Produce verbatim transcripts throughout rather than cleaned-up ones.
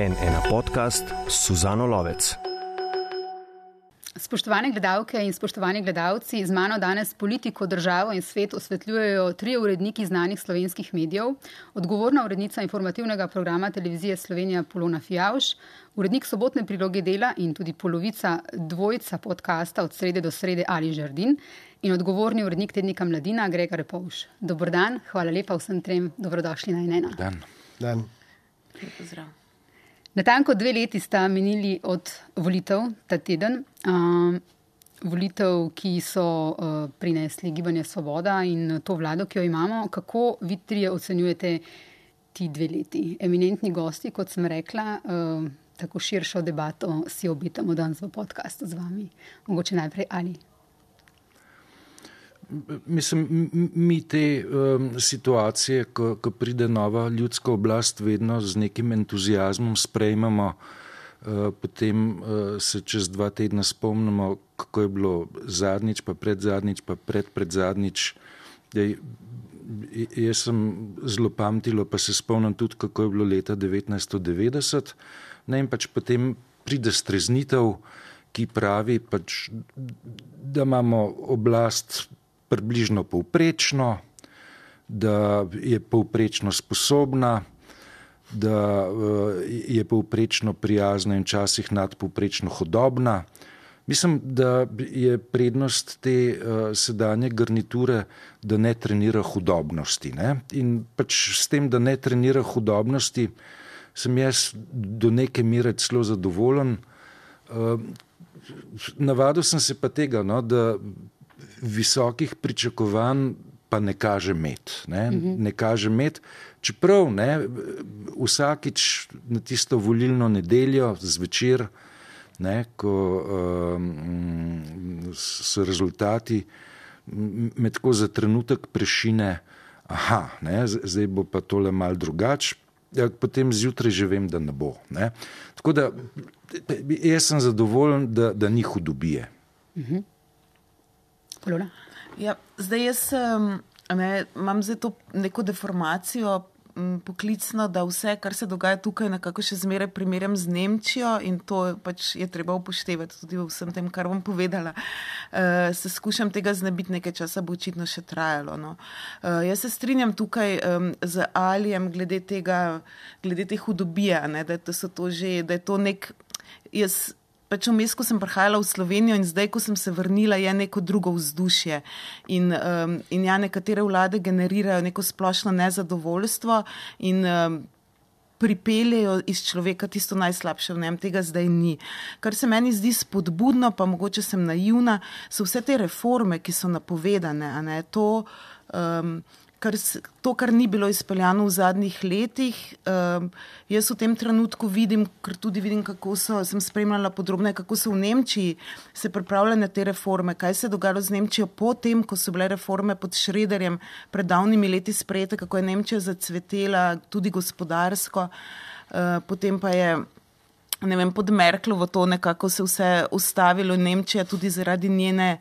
en ena podcast s Suzano Lovec. Spoštovane gledalke in spoštovani gledalci, z mano danes politiko, državo in svet osvetljujejo trije uredniki znanih slovenskih medijev, odgovorna urednica informativnega programa televizije Slovenija Polona Fijavž, urednik sobotne priloge Dela in tudi polovica dvojca podcasta Od srede do srede Ali Žerdin in odgovorni urednik tednika Mladina Grega Repovž. Dober dan, hvala lepa vsem trem, dobrodošli na en ena. Dan. Dan. Pozdrav. Natanko dve leti sta minili od volitev ta teden. Uh, volitev, ki so uh, prinesli Gibanje Svoboda in to vlado, ki jo imamo. Kako vi trije ocenjujete ti dve leti? Eminentni gosti, kot sem rekla, uh, tako širšo debato si obetamo danes v podcastu z vami. Mogoče najprej Ali. Mislim, mi te um, situacije, ko, ko pride nova ljudska oblast, vedno z nekim entuziazmom sprejmemo, uh, potem uh, se čez dva tedna spomnimo, kako je bilo zadnjič, pa predzadnjič, pa pred predzadnjič. Dej, jaz sem zelo pamtilo, pa se spomnim tudi, kako je bilo leta devetnajststo devetdeset. Ne, in pač potem pride streznitev, ki pravi, pač, da imamo oblast približno povprečno, da je povprečno sposobna, da je povprečno prijazna in včasih nadpovprečno hudobna. Mislim, da je prednost te uh, sedanje garniture, da ne trenira hudobnosti. Ne? In pač s tem, da ne trenira hudobnosti, sem jaz do neke mere celo zadovoljen. Uh, navadil sem se pa tega, no, da visokih pričakovanj pa ne kaže met. Ne, mm-hmm. ne kaže met, čeprav ne, vsakič na tisto volilno nedeljo zvečer, ne, ko um, so rezultati, me tako za trenutek prešine, aha, ne, zdaj bo pa tole malo drugače, ja, potem zjutraj že vem, da ne bo. Ne. Tako da jaz sem zadovoljen, da, da ni hudobije. Mhm. Polona? Ja, zdaj jaz um, ne, imam zdaj to neko deformacijo m, poklicno, da vse, kar se dogaja tukaj, nekako še zmeraj primerjam z Nemčijo in to pač je treba upoštevati tudi v vsem tem, kar bom povedala. Uh, se skušam tega znebiti, nekaj časa bo očitno še trajalo. No. Uh, jaz se strinjam tukaj um, z Alijem glede tega, glede te hudobije, ne, da, da so to že, da je to nek, jaz Pač vmes, ko sem prihajala v Slovenijo in zdaj, ko sem se vrnila, je neko drugo vzdušje. In, um, in ja, nekatere vlade generirajo neko splošno nezadovoljstvo in um, pripeljejo iz človeka tisto najslabše v njem, tega zdaj ni. Kar se meni zdi spodbudno, pa mogoče sem naivna, so vse te reforme, ki so napovedane, a ne, to... Um, Kar, to, kar ni bilo izpeljano v zadnjih letih, um, jaz v tem trenutku vidim, ker tudi vidim, kako so, sem spremljala podrobno, kako so v Nemčiji se pripravljene te reforme, kaj se je dogajalo z Nemčijo potem, ko so bile reforme pod Schröderjem pred davnimi leti sprejete, kako je Nemčija zacvetela tudi gospodarsko, uh, potem pa je ne vem, pod Merklovo to nekako se vse ustavilo in Nemčija tudi zaradi njene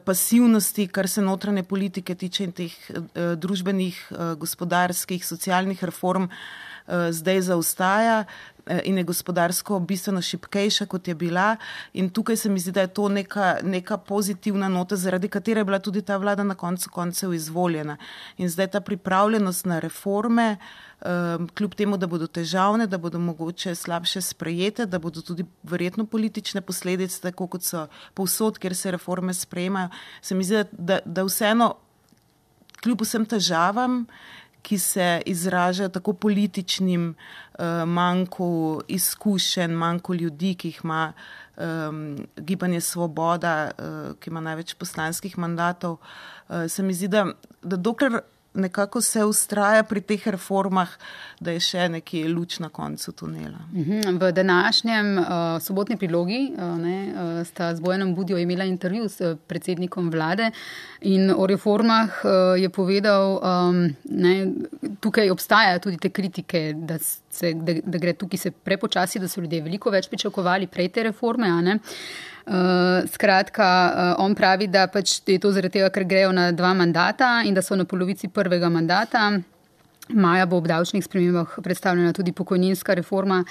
pasivnosti, kar se notranje politike tiče in teh uh, družbenih, uh, gospodarskih, socialnih reform, uh, zdaj zaostaja uh, in je gospodarsko bistveno šibkejša, kot je bila. In tukaj se mi zdi, da je to neka, neka pozitivna nota, zaradi katere je bila tudi ta vlada na koncu koncev izvoljena. In zdaj ta pripravljenost na reforme, Um, kljub temu, da bodo težavne, da bodo mogoče slabše sprejete, da bodo tudi verjetno politične posledice, tako kot so povsod, kjer se reforme sprejemajo, se mi zdi, da, da vseeno kljub vsem težavam, ki se izražajo tako političnim uh, manjku izkušenj, manjku ljudi, ki jih ima um, Gibanje Svoboda, uh, ki ima največ poslanskih mandatov, uh, se mi zdi, da, da dokler nekako se ustraja pri teh reformah, da je še neki luč na koncu tunela. V današnjem uh, sobotni prilogi uh, ne, uh, sta z Bojanom Budjo imela intervju s predsednikom vlade in o reformah uh, je povedal, um, ne, tukaj obstajajo tudi te kritike, da, se, da, da gre tukaj se prepočasi, da so ljudje veliko več pričakovali prej te reforme, a ne. Uh, skratka, uh, on pravi, da pač je to zaradi tega, ker grejo na dva mandata in da so na polovici prvega mandata. maja bo ob davčnih spremembah predstavljena tudi pokojninska reforma,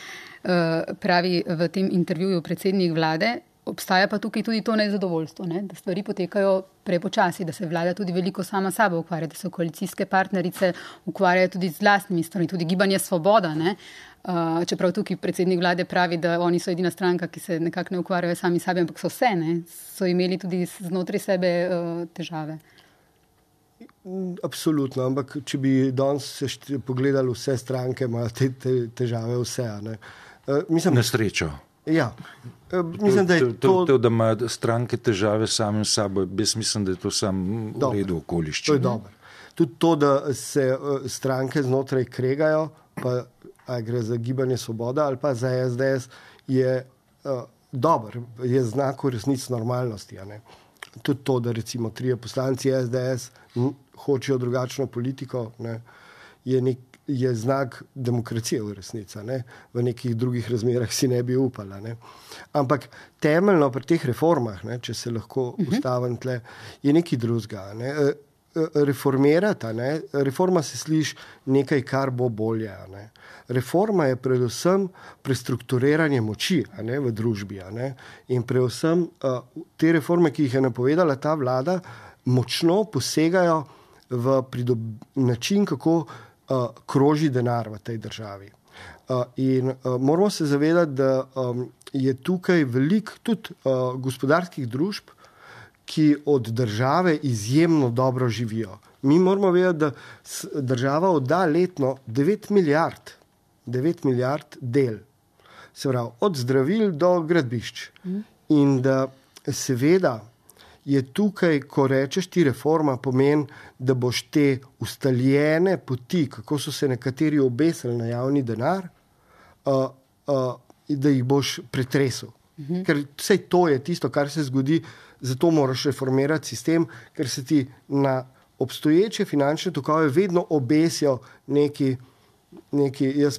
pravi v tem intervjuju predsednik vlade. Obstaja pa tukaj tudi to nezadovoljstvo, ne? Da stvari potekajo prepočasi, da se vlada tudi veliko sama sabo ukvarja, da so koalicijske partnerice ukvarjajo tudi z lastnimi stvarmi, tudi Gibanje Svoboda, ne? Uh, čeprav tukaj predsednik vlade pravi, da oni so edina stranka, ki se nekako ne ukvarjajo sami sabi, ampak so vse, ne? So imeli tudi znotraj sebe uh, težave. Absolutno, ampak če bi danes se pogledali vse stranke, imajo te, te težave vse. Ne? Uh, mislim, Na srečo. Ja. Mislim, da je to... To, to, da imajo stranke težave sami s sabo, jaz mislim, da je to sam v redu okoliščin. To je dobro. Tudi to, da se stranke znotraj kregajo, pa a gre za Gibanje Svoboda ali pa za S D S, je uh, dober, je znak v resnici normalnosti. A ne? Tudi to, da recimo trije poslanci S D S hočejo drugačno politiko, ne, je, nek, je znak demokracije v resnici. Ne. V nekih drugih razmerah si ne bi upala. Ne. Ampak temeljno pri teh reformah, ne, če se lahko uh-huh. ustavim tle, je nekaj drugega. Ne. Reformirati, ne. Reforma se sliši nekaj, kar bo bolje. Ne. Reforma je predvsem prestrukturiranje moči, a ne, v družbi. A ne. In predvsem uh, te reforme, ki jih je napovedala ta vlada, močno posegajo v pridob... način, kako uh, kroži denar v tej državi. Uh, in uh, moramo se zavedati, da um, je tukaj veliko tudi uh, gospodarskih družb, ki od države izjemno dobro živijo. Mi moramo vedeti, da država odda letno devet milijard, devet milijard del. Se pravi, od zdravil do gradbišč. Mm. In da seveda je tukaj, ko rečeš ti reforma, pomeni, da boš te ustaljene poti, kako so se nekateri obesili na javni denar, uh, uh, da jih boš pretresel. Mm-hmm. Ker vse to je tisto, kar se zgodi, zato moraš reformirati sistem, ker se ti na obstoječe finančne tokove vedno obesijo neki, neki jaz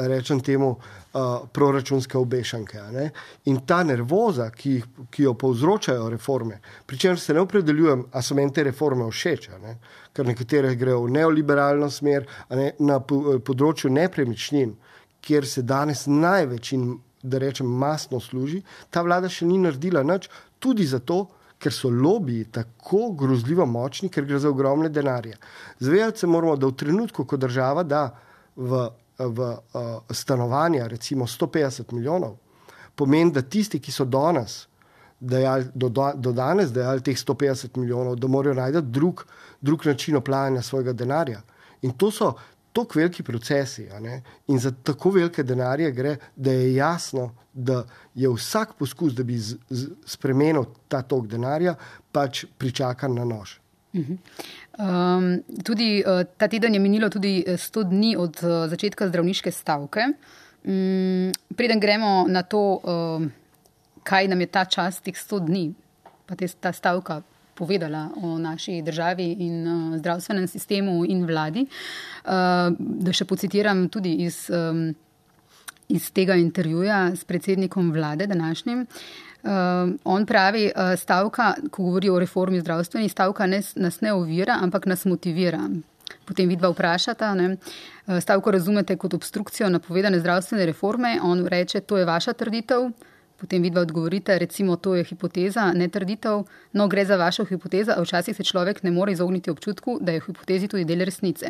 rečem temu, uh, proračunske obešanke. Ne? In ta nervoza, ki, jih, ki jo povzročajo reforme, pri čemer se ne opredeljujem, a so meni te reforme všeč, ne? Ker nekatere grejo v neoliberalno smer, a ne? Na področju nepremičnin, kjer se danes največ in da rečem masno služi, ta vlada še ni naredila nič, tudi zato, ker so lobiji tako grozljivo močni, ker gre za ogromne denarje. Zavedati se moramo, da v trenutku, ko država da v, v uh, stanovanja recimo sto petdeset milijonov, pomeni, da tisti, ki so danes dejali, do, do danes dejali teh sto petdeset milijonov, da morajo najti drug, drug način oplajanja svojega denarja. In to so tako veliki procesi, a ne? In za tako velike denarje gre, da je jasno, da je vsak poskus, da bi z, z, spremenil ta tok denarja, pač pričakan na nož. Uh-huh. Um, tudi uh, ta teden je minilo tudi sto dni od uh, začetka zdravniške stavke. Um, preden gremo na to, uh, kaj nam je ta čas teh sto dni, pa te, ta stavka povedala o naši državi in uh, zdravstvenem sistemu in vladi. Uh, da še pocitiram tudi iz, um, iz tega intervjuja s predsednikom vlade današnjim. Uh, on pravi, uh, stavka, ko govori o reformi zdravstveni, stavka ne, nas ne ovira, ampak nas motivira. Potem vidva vprašata, ne, stavko razumete kot obstrukcijo napovedane zdravstvene reforme, on reče, to je vaša trditev. Potem vidva odgovorite, recimo, to je hipoteza, ne trditev, no gre za vašo hipotezo, a včasih se človek ne more izogniti občutku, da je v hipotezi tudi del resnice.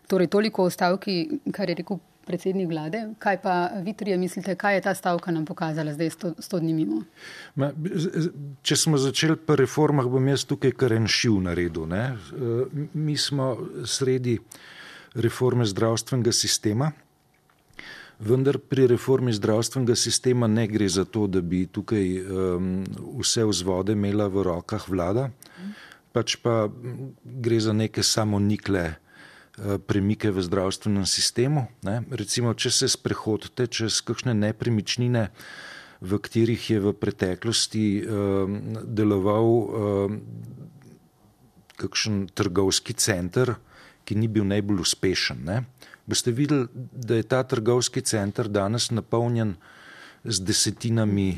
Torej, toliko o stavki, kar je rekel predsednik vlade. Kaj pa vi trije mislite, kaj je ta stavka nam pokazala zdaj sto, sto dni mimo? Ma, če smo začeli pri reformah, bom jaz tukaj kar en šiv naredil. Ne? Mi smo sredi reforme zdravstvenega sistema, vendar pri reformi zdravstvenega sistema ne gre za to, da bi tukaj um, vse vzvode imela v rokah vlada, pač pa gre za neke samonikle uh, premike v zdravstvenem sistemu. Ne? Recimo, če se sprehodite čez kakšne nepremičnine, v katerih je v preteklosti um, deloval um, kakšen trgovski center, ki ni bil najbolj uspešen, ne? Boste videli, da je ta trgovski center danes napolnjen z desetinami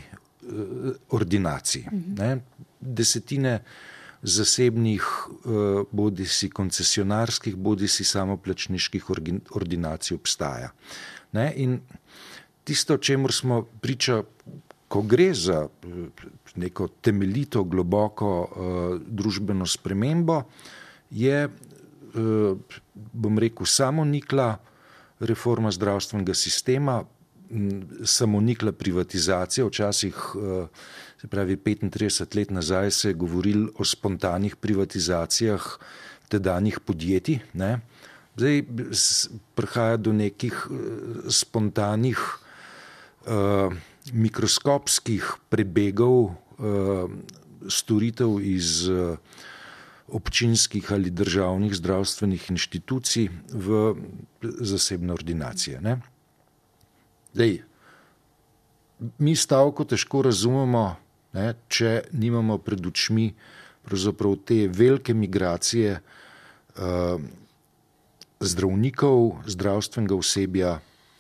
ordinacij. Ne? Desetine zasebnih, bodi si koncesionarskih, bodi si samoplačniških ordinacij obstaja. Ne? In tisto, čemur smo priča, ko gre za neko temeljito, globoko družbeno spremembo, je, bom rekel, samonikla reforma zdravstvenega sistema, samonikla privatizacija. Včasih, se pravi petintrideset let nazaj, se je govoril o spontanih privatizacijah tedanjih podjetij. Ne? Zdaj prihaja do nekih spontanih uh, mikroskopskih prebegov uh, storitev iz uh, občinskih ali državnih zdravstvenih inštitucij v zasebne ordinacije. Ne? Zdaj, mi stavko težko razumemo, ne, če nimamo pred očmi pravzaprav te velike migracije uh, zdravnikov, zdravstvenega osebja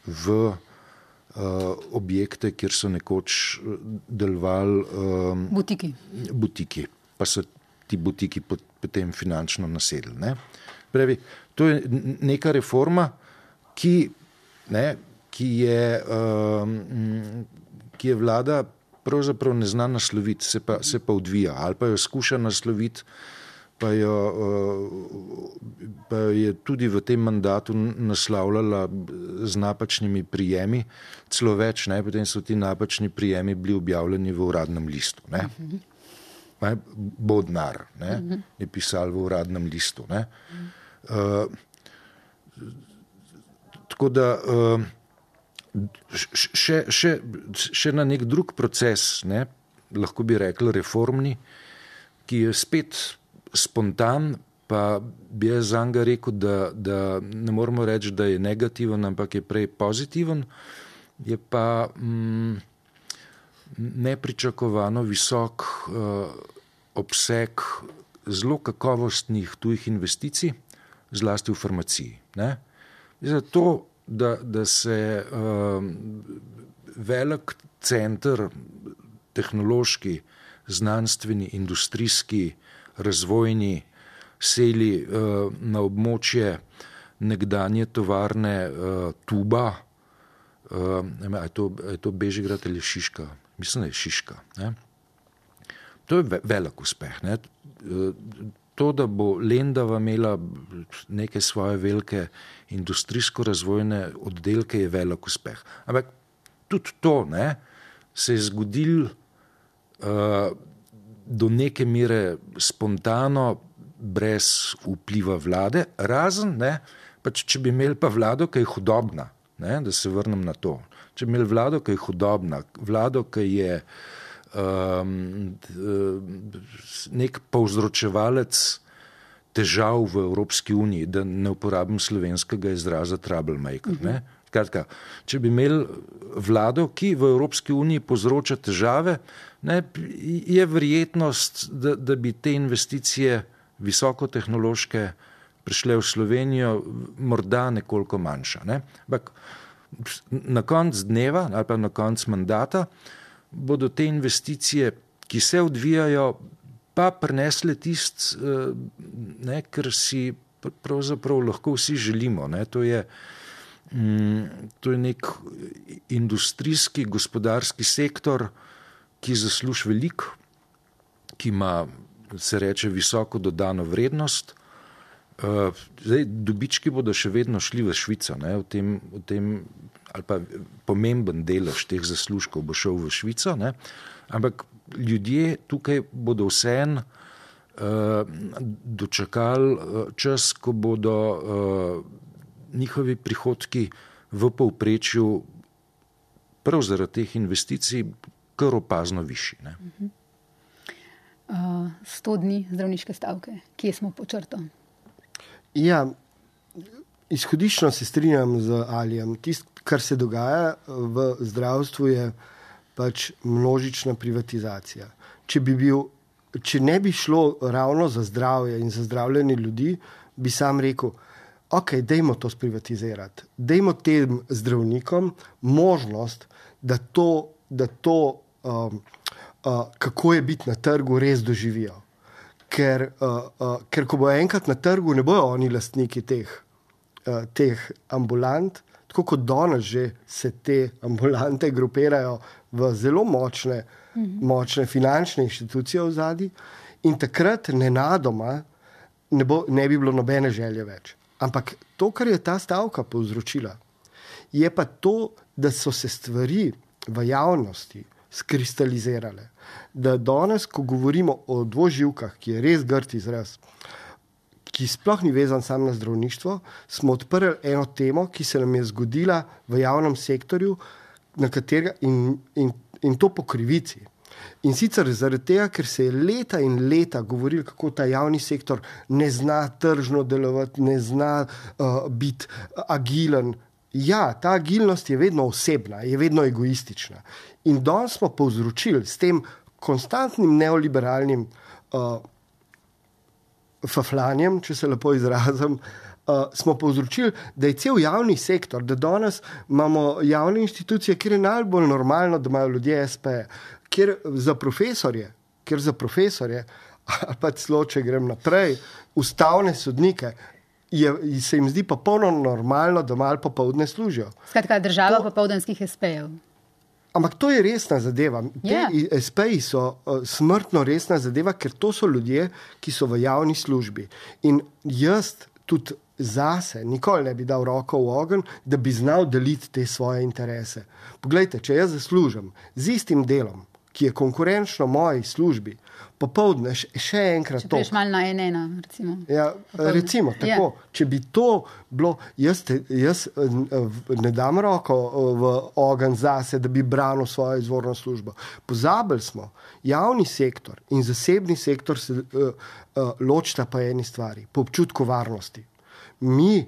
v uh, objekte, kjer so nekoč delovali um, butiki. butiki, pa so ti butiki potem finančno nasedli. Ne? Pravi, to je neka reforma, ki, ne, ki, je, um, ki je vlada pravzaprav ne zna nasloviti, se pa, se pa odvija, ali pa jo skuša nasloviti, pa jo, pa jo je tudi v tem mandatu naslavljala z napačnimi prijemi, celo več, ne, potem so ti napačni prijemi bili objavljeni v uradnem listu. Ne. Ne, Bodnar, ne, je pisal v uradnem listu. Ne. Uh, tako da uh, še, še, še na nek drug proces, ne, lahko bi rekli reformni, ki je spet spontan, pa bi jaz zanga rekel, da, da ne moramo reči, da je negativen, ampak je prej pozitiven, je pa mm, nepričakovano visok uh, obseg zelo kakovostnih tujih investicij, zlasti v farmaciji. Ne? Zato, da, da se uh, velik center, tehnološki, znanstveni, industrijski, razvojni, seli uh, na območje nekdanje tovarne uh, Tuba, uh, je to, je to Bežigrad ali Šiška? Mislim, da je Šiška. Ne? To je velik uspeh. Ne? To, da bo Lendava imela neke svoje velike industrijsko-razvojne oddelke, je velik uspeh. Ampak tudi to, ne, se je zgodilo uh, do neke mere spontano, brez vpliva vlade, razen, ne, pač, če bi imeli pa vlado, ki je hudobna, ne, da se vrnem na to. Če bi imeli vlado, ki je hudobna, vlado, ki je Um, nek povzročevalec težav v Evropski uniji, da ne uporabim slovenskega izraza troublemaker. Ne? Kratka, če bi imeli vlado, ki v Evropski uniji povzroča težave, ne, je verjetnost, da, da bi te investicije visokotehnološke prišle v Slovenijo, morda nekoliko manjša. Ne? Ampak na konc dneva ali pa na konc mandata bodo te investicije, ki se odvijajo, pa prinesle tist, ne, kar si pravzaprav lahko vsi želimo. Ne. To je, to je nek industrijski, gospodarski sektor, ki zasluži veliko, ki ima, se reče, visoko dodano vrednost. Zdaj, dobički bodo še vedno šli v Švico, ne, v tem, v tem ali pa pomemben delež teh zaslužkov bo šel v Švico, ne? Ampak ljudje tukaj bodo vseeno uh, dočakali čas, ko bodo uh, njihovi prihodki v povprečju prav zaradi teh investicij kar opazno višji. Ne? Uh, sto dni zdravniške stavke. Kje smo pod črto? Ja, izhodiščno se strinjam z Alijem. Tisto, kar se dogaja v zdravstvu, je pač množična privatizacija. Če bi bil, če ne bi šlo ravno za zdravje in za zdravljenje ljudi, bi sam rekel, ok, dajmo to sprivatizirati. Dajmo tem zdravnikom možnost, da to, da to um, uh, kako je biti na trgu, res doživijo. ker, uh, uh, ker ko bo enkrat na trgu, ne bojo oni lastniki teh, uh, teh ambulant, tako kot danes že se te ambulante grupirajo v zelo močne, mm-hmm. močne finančne inštitucije v zadnji in takrat nenadoma ne, bo, ne bi bilo nobene želje več. Ampak to, kar je ta stavka povzročila, je pa to, da so se stvari v javnosti skristalizirale. Da danes, ko govorimo o dvoživkah, ki je res grd izraz, ki sploh ni vezan sam na zdravništvo, smo odprli eno temo, ki se nam je zgodila v javnem sektorju, na katerega in, in, in to po krivici. In sicer zaradi tega, ker se je leta in leta govorilo, kako ta javni sektor ne zna tržno delovati, ne zna uh, biti agilen. Ja, ta agilnost je vedno osebna, je vedno egoistična. In danes smo povzročili s tem konstantnim neoliberalnim uh, faflanjem, če se lepo izrazim, uh, smo povzročili, da je cel javni sektor, da danes imamo javne institucije, kjer je najbolj normalno, da imajo ljudje es pe, kjer za profesorje, kjer za profesorje, ali pa celo, če grem naprej, ustavne sodnike, je, se jim zdi popolno normalno, da malo popoldne služijo. Skratka, država to, popoldanskih es pejev. Ampak to je resna zadeva. Yeah. Te es peji so uh, smrtno resna zadeva, ker to so ljudje, ki so v javni službi. In jaz tudi zase nikoli ne bi dal roko v ogenj, da bi znal deliti te svoje interese. Poglejte, če jaz zaslužim z istim delom, ki je konkurenčno moji službi, popoldne še enkrat to. Če prejš malo na en ena, recimo. Ja, recimo, tako. Yeah. Če bi to bilo, jaz, te, jaz ne dam roko v ogenj zase, da bi branil svojo izvorno službo. Pozabili smo, javni sektor in zasebni sektor se uh, uh, ločita pa eni stvari, po občutku varnosti. Mi,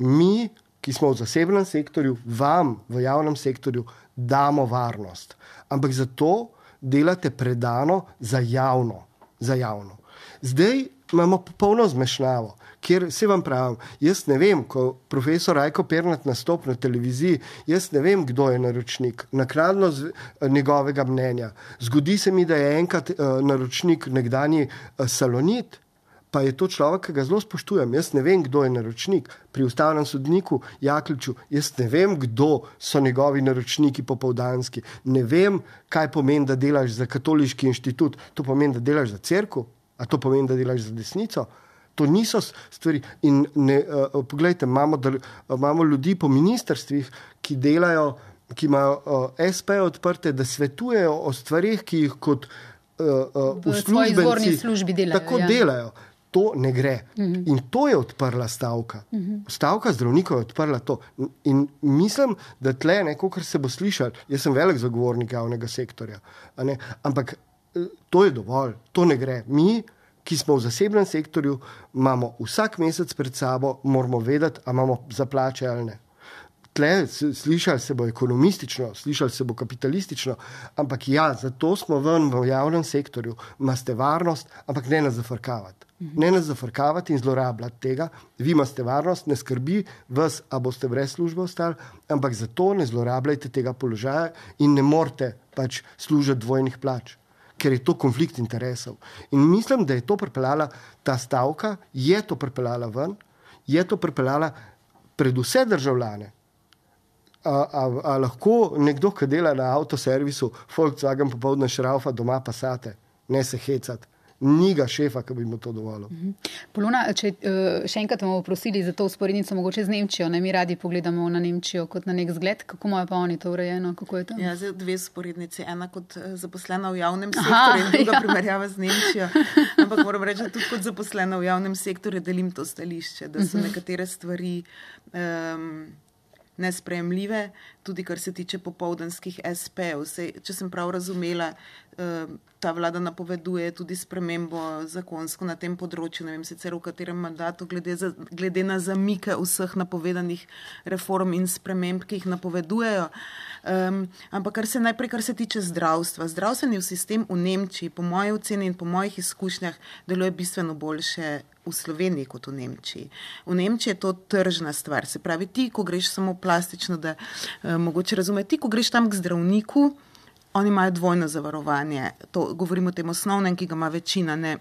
mi, ki smo v zasebnem sektorju, vam v javnem sektorju damo varnost. Ampak zato delate predano za javno, za javno. Zdaj imamo popolno zmešnjavo, kjer se vam pravim, jaz ne vem, ko profesor Rajko Pirnat nastopi na televiziji, jaz ne vem, kdo je naročnik, naknadno z njegovega mnenja. Zgodi se mi, da je enkrat uh, naročnik nekdanji uh, Salonit, pa je to človek, ki ga zelo spoštujem. Jaz ne vem, kdo je naročnik. Pri ustavnem sodniku Jakliču, jaz ne vem, kdo so njegovi naročniki popoldanski. Ne vem, kaj pomeni, da delaš za katoliški inštitut. To pomeni, da delaš za cerkev? A to pomeni, da delaš za desnico? To niso stvari. In ne, uh, poglejte, imamo, da, uh, imamo ljudi po ministrstvih, ki delajo, ki imajo uh, es pe odprte, da svetujejo o stvarih, ki jih kot uh, uh, v svoji izvorni službi delajo. Tako ja. delajo. To ne gre. Uh-huh. In to je odprla stavka. Uh-huh. Stavka zdravnikov je odprla to. In mislim, da tle, kakor se bo slišal, jaz sem velik zagovornik javnega sektorja, a ne? Ampak to je dovolj, to ne gre. Mi, ki smo v zasebnem sektorju, imamo vsak mesec pred sabo, moramo vedeti, a imamo za plače ali ne. Tle, slišali se bo ekonomistično, slišali se bo kapitalistično, ampak ja, zato smo ven v javnem sektorju, imate varnost, ampak ne nas zafrkavati. Ne nas zafrkavati in zlorabljati tega. Vi imate varnost, ne skrbi vas, a boste brez službe ostali, ampak zato ne zlorabljajte tega položaja in ne morete pač služiti dvojnih plač, ker je to konflikt interesov. In mislim, da je to pripeljala ta stavka, je to pripeljala ven, je to pripeljala pred vse državljane. A, a, a lahko nekdo, ki dela na avtoservisu, Volkswagen popoldne šraufa, doma pa sate, ne se hecati. Ni ga šefa, ki bi mu to dovolil. Polona, če še enkrat bomo prosili za to usporednico mogoče z Nemčijo, ne, mi radi pogledamo na Nemčijo kot na nek zgled, kako imajo pa oni to urejeno, kako je to? Ja, zdaj dve usporednici, ena kot zaposlena v javnem sektorju in druga ja. primerjava z Nemčijo, ampak moram reči, tudi kot zaposlena v javnem sektorju delim to stališče, da so nekatere stvari um, nesprejemljive, tudi kar se tiče popoldanskih es pejev. Če sem prav razumela, ta vlada napoveduje tudi spremembo zakonsko na tem področju, ne vem sicer v katerem mandatu, glede, za, glede na zamike vseh napovedanih reform in sprememb, ki jih napovedujejo. Um, ampak kar se najprej, kar se tiče zdravstva. Zdravstveni sistem v Nemčiji, po moji oceni in po mojih izkušnjah, deluje bistveno boljše v Sloveniji kot v Nemčiji. V Nemčiji je to tržna stvar. Se pravi, ti, ko greš samo plastično, da uh, mogoče razumeti, ti, ko greš tam k zdravniku, oni imajo dvojno zavarovanje. To govorimo o tem osnovnem, ki ga ima večina, ne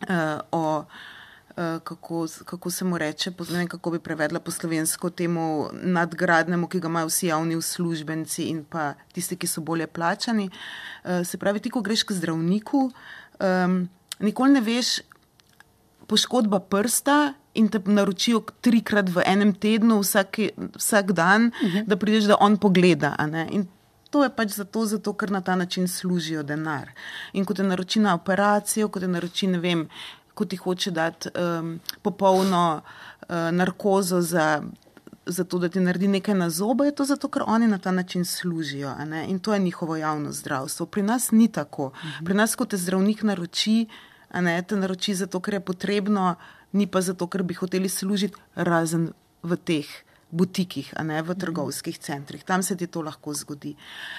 uh, o uh, kako, kako se mu reče, ne vem, kako bi prevedla po slovensko temu nadgradnemu, ki ga imajo vsi javni uslužbenci in pa tisti, ki so bolje plačani. Uh, se pravi, ti, ko greš k zdravniku, um, nikoli ne veš, poškodba prsta in te naročijo trikrat v enem tednu, vsak, vsak dan, uh-huh. da prideš, da on pogleda. A ne? In to je pač zato, zato, ker na ta način služijo denar. In ko te naroči na operacijo, ko te naroči, ne vem, ko ti hoče dati um, popolno uh, narkozo za, za to, da ti naredi nekaj na zobe, je to zato, ker oni na ta način služijo. A ne? In to je njihovo javno zdravstvo. Pri nas ni tako. Uh-huh. Pri nas, ko te zdravnik naroči, a ne, te naroči zato, ker je potrebno, ni pa zato, ker bi hoteli služiti, razen v teh butikih, a ne v trgovskih centrih. Tam se ti to lahko zgodi.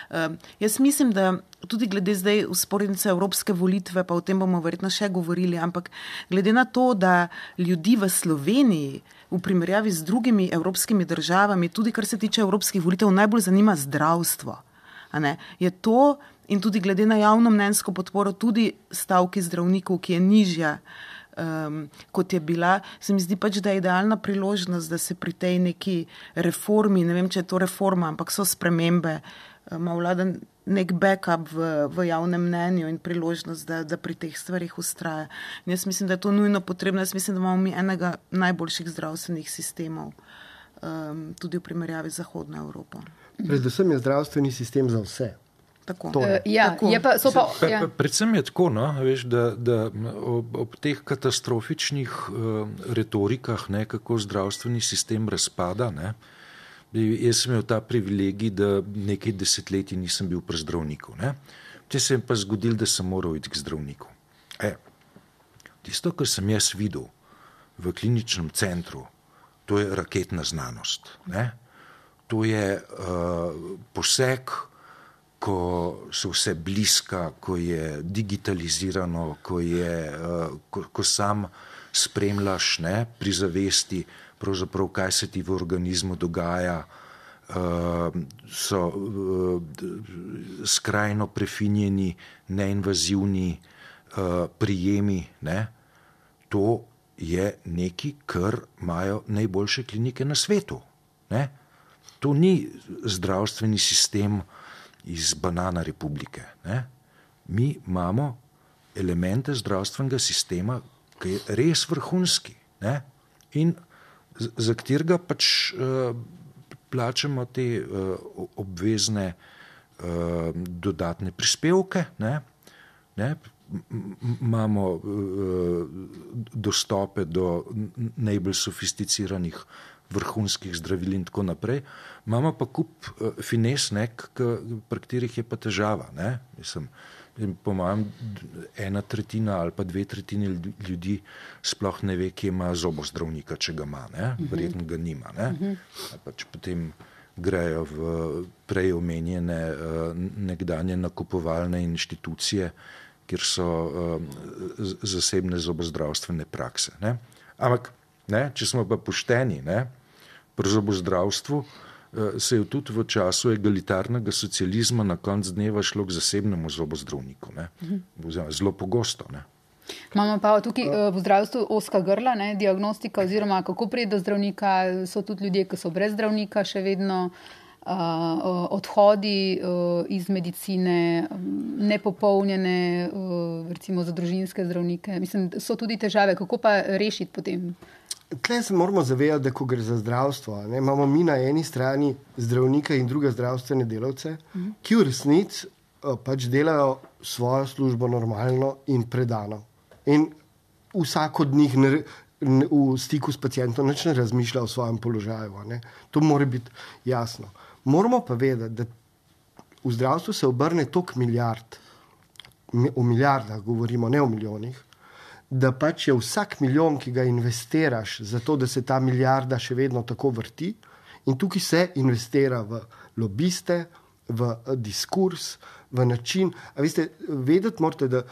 Um, jaz mislim, da tudi glede zdaj vzporednice evropske volitve, pa o tem bomo verjetno še govorili, ampak glede na to, da ljudi v Sloveniji v primerjavi z drugimi evropskimi državami, tudi kar se tiče evropskih volitev, najbolj zanima zdravstvo. A ne, je to in tudi glede na javnomnenjsko podporo, tudi stavki zdravnikov, ki je nižja, um, kot je bila, se mi zdi pač, da je idealna priložnost, da se pri tej neki reformi, ne vem, če je to reforma, ampak so spremembe, ima vlada nek backup v, v javnem mnenju in priložnost, da, da pri teh stvarih ustraja. In jaz mislim, da je to nujno potrebno. Jaz mislim, da imamo mi enega najboljših zdravstvenih sistemov, um, tudi v primerjavi z Zahodno Evropo. Predvsem je zdravstveni sistem za vse. Tako. Uh, ja, tako. Je pa, so pa, ja. Predvsem je tako, no, veš, da, da ob, ob teh katastrofičnih uh, retorikah, ne, kako zdravstveni sistem razpada, ne, jaz sem imel ta privilegij, da nekaj desetletij nisem bil pri zdravniku. Ne. Če se je pa zgodil, da sem moral iti k zdravniku. E, tisto, kar sem jaz videl v kliničnem centru, to je raketna znanost. Ne. To je uh, poseg, ko so vse bliska, ko je digitalizirano, ko, je, uh, ko, ko sam spremljaš, ne, pri zavesti, pravzaprav kaj se ti v organizmu dogaja, uh, so uh, skrajno prefinjeni, neinvazivni uh, prijemi. Ne. To je nekaj, kar imajo najboljše klinike na svetu. Ne. To ni zdravstveni sistem iz Banana republike. Ne? Mi imamo elemente zdravstvenega sistema, ki je res vrhunski, ne? In za katerega pač uh, plačamo te uh, obvezne uh, dodatne prispevke, ne? Ne? Imamo uh, dostope do najbolj sofisticiranih vrhunskih zdravil in tako naprej. Imamo pa kup uh, fines, ne, pri katerih je pa težava. Ne. Mislim, po mojem, ena tretjina ali pa dve tretjini ljudi sploh ne ve, kje ima zobozdravnika, če ga ima. Ne. Verjetno ga nima. Ne. Uh-huh. Pač potem grejo v prej omenjene uh, nekdanje nakupovalne inštitucije, kjer so uh, zasebne zobozdravstvene prakse. Ne. Ampak ne, če smo pa pošteni, ne, pri zobozdravstvu se je tudi v času egalitarnega socializma na konc dneva šlo k zasebnemu zobozdravniku. Ne. Zelo pogosto. Ne. Imamo pa tukaj v zdravstvu ozka grla, ne, diagnostika oziroma kako priti do zdravnika. So tudi ljudje, ki so brez zdravnika še vedno, uh, odhodi uh, iz medicine, nepopolnjene, uh, recimo za družinske zdravnike. Mislim, so tudi težave. Kako pa rešiti potem? Tle se moramo zavedati, da ko gre za zdravstvo, ne, imamo mi na eni strani zdravnike in druge zdravstvene delavce, mm. ki v resnici uh, pač delajo svojo službo normalno in predano. In vsak od njih ne, ne, v stiku s pacientom nič ne razmišlja o svojem položaju. Ne. To mora biti jasno. Moramo pa vedeti, da v zdravstvu se obrne toliko milijard, o milijardah govorimo, ne o milijonih, da pač je vsak milijon, ki ga investiraš za to, da se ta milijarda še vedno tako vrti, in tukaj se investira v lobiste, v diskurs, v način. A veste, vedeti morate, da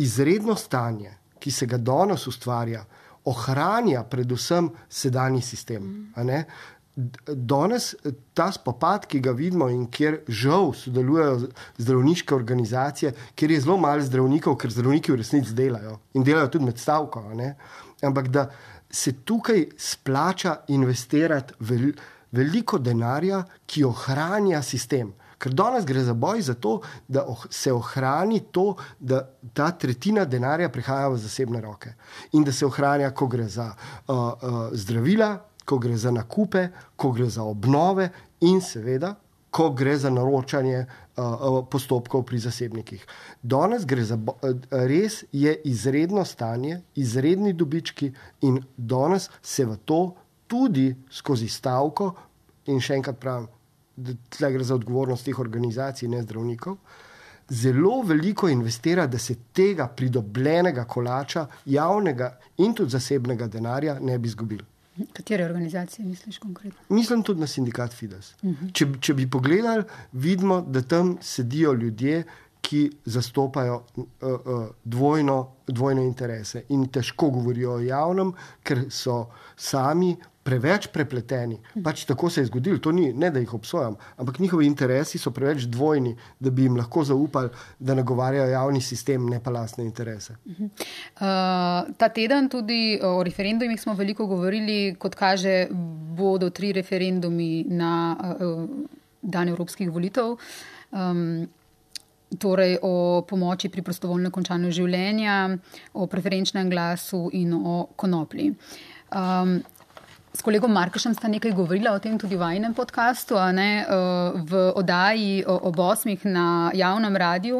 izredno stanje, ki se ga danes ustvarja, ohranja predvsem sedanji sistem. A ne? danes ta spopad, ki ga vidimo in kjer žal sodelujejo zdravniške organizacije, kjer je zelo malo zdravnikov, ker zdravniki v resnici delajo in delajo tudi med stavko, ne? Ampak da se tukaj splača investirati vel, veliko denarja, ki ohranja sistem. Ker danes gre za boj za to, da se ohrani to, da ta tretjina denarja prihaja v zasebne roke in da se ohranja, ko gre za uh, uh, zdravila, ko gre za nakupe, ko gre za obnove in seveda, ko gre za naročanje uh, postopkov pri zasebnikih. Danes gre za, res je izredno stanje, izredni dobički in danes se v to tudi skozi stavko, in še enkrat pravim, da tle gre za odgovornost teh organizacij, ne zdravnikov, zelo veliko investira, da se tega pridobljenega kolača, javnega in tudi zasebnega denarja ne bi izgubili. Katere organizacije misliš konkretno? Mislim tudi na sindikat Fides. Uh-huh. Če, če bi pogledali, vidimo, da tam sedijo ljudje, ki zastopajo uh, uh, dvojno, dvojne interese in težko govorijo o javnem, ker so sami preveč prepleteni. Pač tako se je zgodilo, to ni, ne da jih obsojam, ampak njihovi interesi so preveč dvojni, da bi jim lahko zaupali, da nagovarjajo javni sistem, ne pa lastne interese. Uh-huh. Uh, ta teden tudi o referendumih smo veliko govorili, kot kaže, bodo tri referendumi na uh, dan evropskih volitev. Um, torej o pomoči pri prostovoljnem končanju življenja, o preferenčnem glasu in o konoplji. Um, S kolegom Markešem sta nekaj govorila o tem tudi v vajinem podcastu, a ne, v oddaji ob osmih na javnem radiju,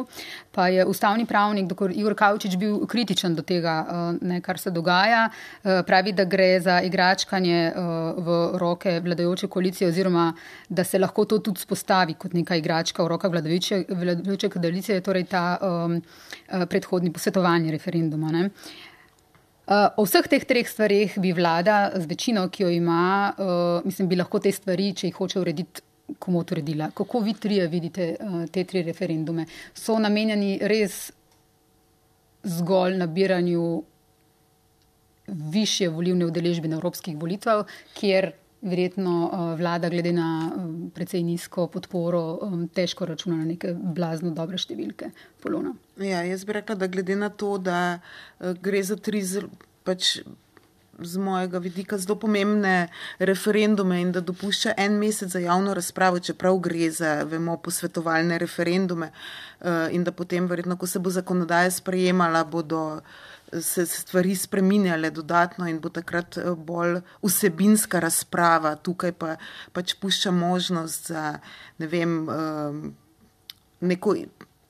pa je ustavni pravnik doktor Igor Kavčič bil kritičen do tega, ne, kar se dogaja. Pravi, da gre za igračkanje v roke vladajoče koalicije oziroma da se lahko to tudi spostavi kot neka igračka v rokah vladajoče, vladajoče koalicije, torej ta um, predhodni posvetovanje referenduma, ne. Uh, o vseh teh treh stvarih bi vlada z večino, ki jo ima, uh, mislim, bi lahko te stvari, če jih hoče urediti, komot uredila. Kako vi trije vidite uh, te tri referendume? So namenjeni res zgolj nabiranju višje volilne udeležbe na evropskih volitvah, kjer verjetno uh, vlada glede na um, precej nizko podporo um, težko računa na neke blazno dobre številke. Polona. Ja, jaz bi rekla, da glede na to, da uh, gre za tri zelo, pač z mojega vidika zelo pomembne referendume in da dopušča en mesec za javno razpravo, čeprav gre za, vemo, posvetovalne referendume uh, in da potem verjetno, ko se bo zakonodaja sprejemala, bodo se stvari spreminjale dodatno in bo takrat bolj vsebinska razprava. Tukaj pa pač pušča možnost za, ne vem, neko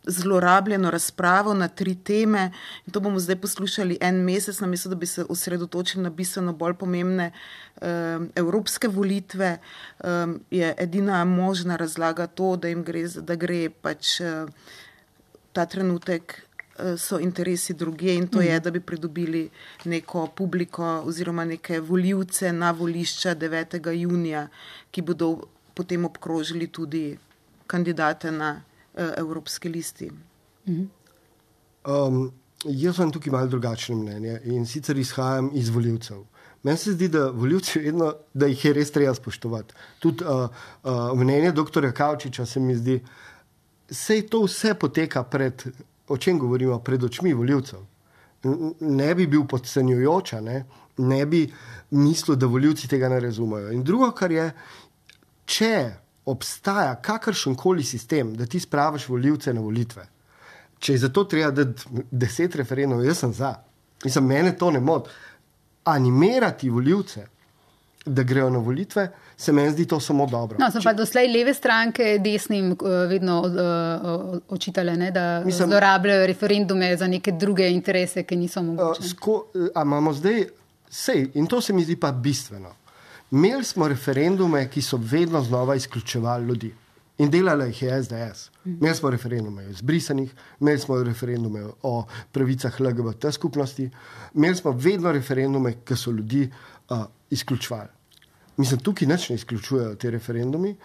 zlorabljeno razpravo na tri teme in to bomo zdaj poslušali en mesec, namesto da bi se osredotočili na bistveno bolj pomembne um, evropske volitve. Um, je edina možna razlaga to, da jim gre, da gre pač uh, ta trenutek so interesi druge in to je, da bi pridobili neko publiko oziroma neke volivce na volišča devetega junija, ki bodo potem obkrožili tudi kandidate na uh, evropski listi. Um, jaz sem tukaj malo drugačno mnenje in sicer izhajam iz volivcev. Meni se zdi, da volivci vedno, da jih je res treba spoštovati. Tudi uh, uh, mnenje doktorja Kavčiča se mi zdi, sej to vse poteka pred o čem govorimo, pred očmi volivcev. Ne bi bil podcenjujoča, ne? ne bi mislil, da volivci tega ne razumejo. In drugo, kar je, če obstaja kakršenkoli sistem, da ti spraviš volivce na volitve, če je zato treba dati deset referendumov, jaz sem za. Mislim, mene to ne moti. Animirati volivce, da grejo na volitve, se meni zdi to samo dobro. No, so pa doslej leve stranke desnim vedno uh, očitale, ne, da Mislim, zlorabljajo referendume za neke druge interese, ki niso mogoče. Uh, sko, a imamo zdaj, sej, in to se mi zdi pa bistveno. Imeli smo referendume, ki so vedno znova izključevali ljudi. In delala jih je S D S. Imeli smo referendume o izbrisanih, imeli smo referendume o pravicah L G B T skupnosti, imeli smo vedno referendume, ki so ljudi uh, izključevali. Mislim, tukaj nič ne izključujejo te referendumi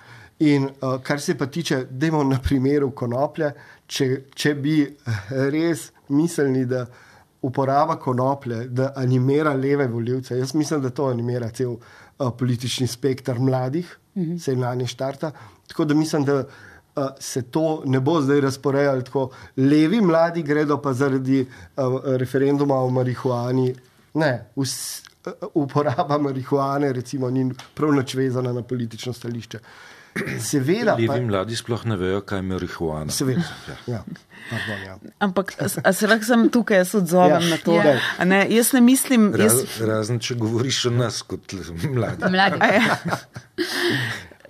in uh, kar se pa tiče, dajmo na primeru konoplje, če, če bi res mislili, da uporaba konoplje, da animira leve volivce. Jaz mislim, da to animira cel uh, politični spektr mladih, mm-hmm. se na njih štarta. Tako da mislim, da uh, se to ne bo zdaj razporejalo tako. Levi mladi gredo pa zaradi uh, referenduma o marihuani. Ne, vs, uh, uporaba marihuane recimo ni prav nič vezana na politično stališče. Seveda, Levi pa, mladi sploh ne vejo, kaj je marihuana. Seveda, ja. Pardon, ja. Ampak, a se lahko sem tukaj, jaz odzovem Ja, na to. ja. A ne, jaz ne mislim... Jaz... Raz, razen, če govoriš o nas kot mladi. Mladi. A ja.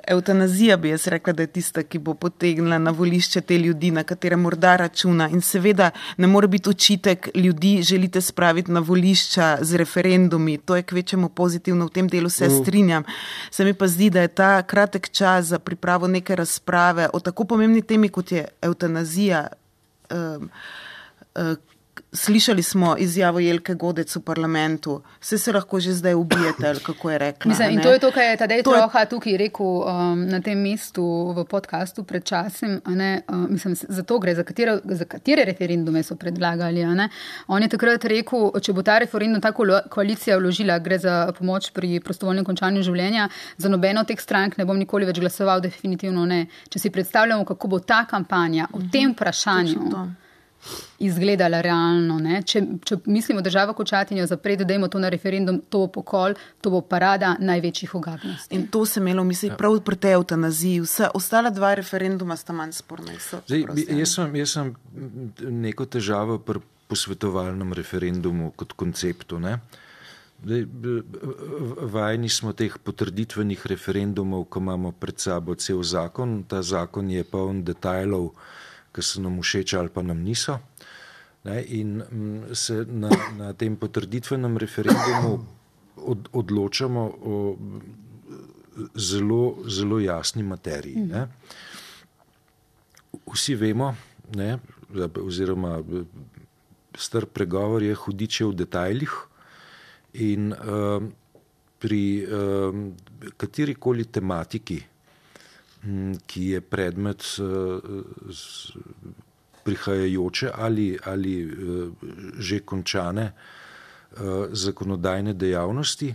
Evtanazija bi jaz rekla, da je tista, ki bo potegnila na volišče te ljudi, na katere morda računa. In seveda ne more biti očitek, ljudi želite spraviti na volišča z referendumi. To je kvečemu pozitivno, v tem delu se strinjam. Se mi pa zdi, da je ta kratek čas za pripravo neke razprave o tako pomembni temi, kot je evtanazija. Um, uh, Slišali smo izjavo Jelke Godec v parlamentu. Vse se lahko že zdaj ubijete, ali kako je rekla. Mislim, in ne? to je to, kar je Tadej To je- Troha tukaj rekel um, na tem mestu v podkastu pred časom. a ne, uh, Mislim, za to gre, za katere, za katere referendume so predlagali. a ne. On je takrat rekel, če bo ta referendum ta kolo- koalicija vložila, gre za pomoč pri prostovoljnem končanju življenja, za nobeno od teh strank ne bom nikoli več glasoval, definitivno ne. Če si predstavljamo, kako bo ta kampanja o tem vprašanju Točno to. izgledala realno. Ne? Če, če mislimo državo kočatinjo zapreti, dajmo to na referendum, to bo pokol, to bo parada največjih ogabnosti. In to se imelo v mislih prav pri tej evtanaziji. Vsa, ostala dva referenduma sta manj sporna. So, Zdaj, bi- prosim. jaz, sem, jaz sem neko težavo pri posvetovalnem referendumu kot konceptu. Ne? Zdaj, b- b- vajeni smo teh potrditvenih referendumov, ko imamo pred sabo cel zakon. Ta zakon je poln detajlov, ki so nam všeč ali pa nam niso. Ne? In mm, se na, na tem potrditvenem referendumu od, odločamo o zelo, zelo jasni materiji. Ne? Vsi vemo, ne, oziroma star pregovor je hudiče v detajlih in um, pri um, katerikoli tematiki, m, ki je predmet uh, s- prihajajoče ali, ali uh, že končane uh, zakonodajne dejavnosti,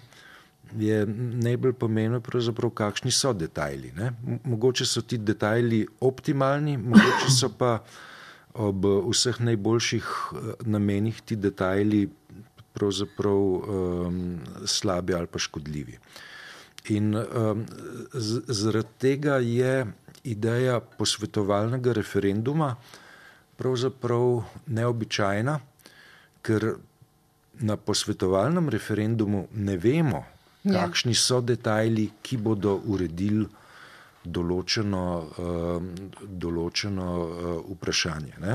je najbolj pomembno pravzaprav, kakšni so detajli. Ne? M- Mogoče so ti detajli optimalni, mogoče so pa ob vseh najboljših eh, namenih ti detajli pravzaprav um, slabi ali pa škodljivi. In um, z- zaradi tega je ideja posvetovalnega referenduma pravzaprav neobičajna, ker na posvetovalnem referendumu ne vemo, Ja. kakšni so detajli, ki bodo uredili določeno, um, določeno uh, vprašanje. Ne?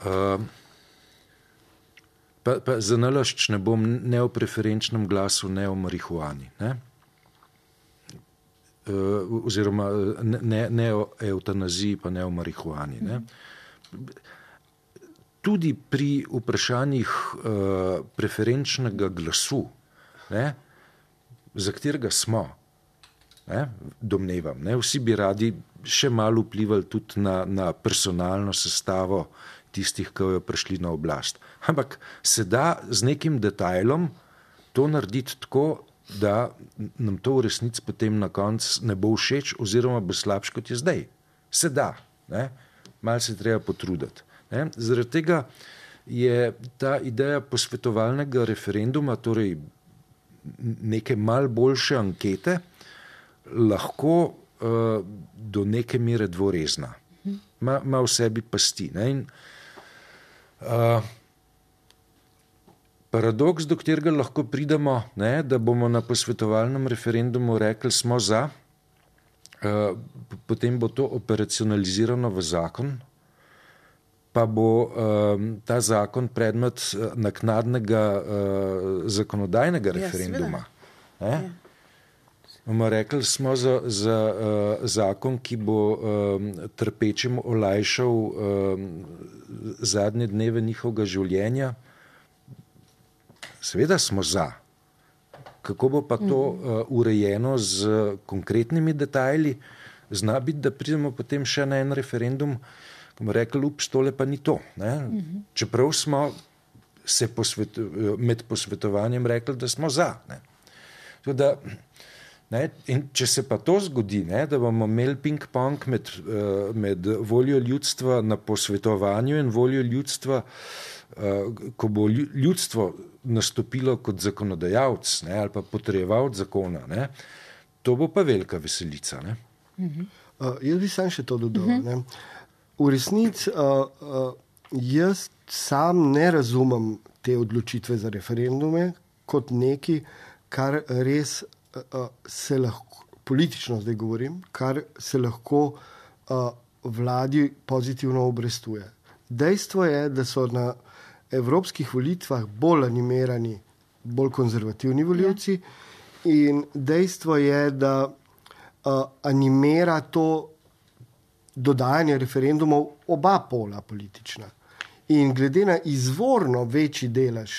Um, pa, pa za nalašč ne bom ne o preferenčnem glasu, ne o marihuani. Ne? Uh, oziroma ne, ne, ne o evtanaziji, pa ne o marihuani. Ne? Tudi pri vprašanjih uh, preferenčnega glasu, ne, za katerega smo, ne, domnevam, ne, vsi bi radi še malo vplivali tudi na, na personalno sestavo tistih, ki jo prišli na oblast. Ampak se da z nekim detajlom to narediti tako, da nam to v resnici potem na koncu ne bo všeč oziroma bo slabš, kot je zdaj. Se da, ne, malo se treba potruditi. Ne. Zaradi tega je ta ideja posvetovalnega referenduma, torej neke mal boljše ankete, lahko uh, do neke mere dvorezna. Ma, ma v sebi pasti. Ne? In, uh, paradoks, do katerega lahko pridemo, ne, da bomo na posvetovalnem referendumu rekli, smo za, uh, potem bo to operacionalizirano v zakon, pa bo um, ta zakon predmet uh, naknadnega uh, zakonodajnega referenduma. Ja, bomo rekli, smo za, za uh, zakon, ki bo um, trpečim olajšal um, zadnje dneve njihovega življenja. Seveda smo za. Kako bo pa to uh, urejeno z konkretnimi detajli, zna biti, da pridemo potem še na en referendum, ko bomo rekli, ups, tole pa ni to. Ne? Uh-huh. Čeprav smo se posvetu, med posvetovanjem rekli, da smo za. Ne? Da, ne? In če se pa to zgodi, ne? Da bomo imeli ping-pong med, med voljo ljudstva na posvetovanju in voljo ljudstva, ko bo ljudstvo nastopilo kot zakonodajalec, ne? Ali pa potrjevalec zakona, ne? To bo pa velika veselica. Ne? Uh-huh. Uh, jaz bi sam še to dodal. Uh-huh. Ne? V resnici uh, uh, jaz sam ne razumem te odločitve za referendume kot neki, kar res uh, se lahko, politično zdaj govorim, kar se lahko uh, vladi pozitivno obrestuje. Dejstvo je, da so na evropskih volitvah bolj animirani, bolj konzervativni volivci, ja. In dejstvo je, da uh, animira to dodajanje referendumov oba pola politična. In glede na izvorno večji delež,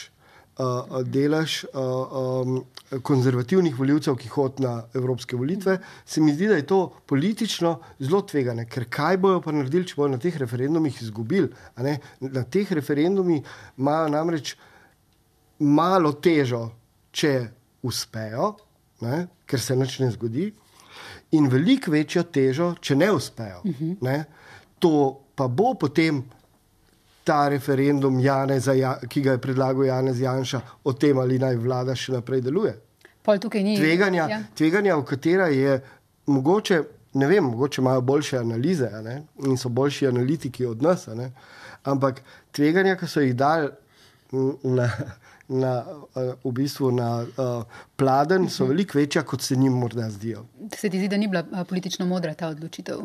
uh, delež uh, um, konzervativnih volivcev, ki hod na evropske volitve, se mi zdi, da je to politično zelo tvegane. Ker kaj bojo pa naredili, če bojo na teh referendumih izgubili? A ne? Na teh referendumih imajo namreč malo težo, če uspejo, ne? Ker se nič ne zgodi, in veliko večjo težo, če ne uspejo. Uh-huh. Ne? To pa bo potem ta referendum, Janeza, ki ga je predlagal Janez Janša, o tem, ali naj vlada še naprej deluje. Pol tukaj ni. Tveganja, ja. tveganja, v katera je mogoče, ne vem, mogoče imajo boljše analize, a ne? In so boljši analitiki od nas, a ne? Ampak tveganja, ki so jih dali na, na, v bistvu na uh, pladen, so veliko večja, kot se njim morda zdijo. Se ti zdi, da ni bila politično modra ta odločitev?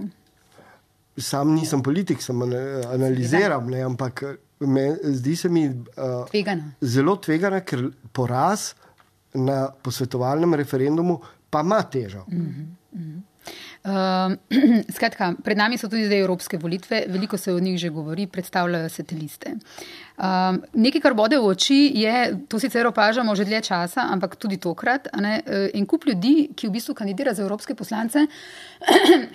Sam nisem politik, sem analiziram, ne, ampak me, zdi se mi uh, tvegana. Zelo tvegana, ker poraz na posvetovalnem referendumu pa ima težo. Mm-hmm, mm-hmm. Uh, skratka, pred nami so tudi zdaj evropske volitve, veliko se o njih že govori, predstavljajo se te liste. Uh, nekaj, kar bode v oči, je, to sicer opažamo že dlje časa, ampak tudi tokrat, a ne, en kup ljudi, ki v bistvu kandidira za evropske poslance,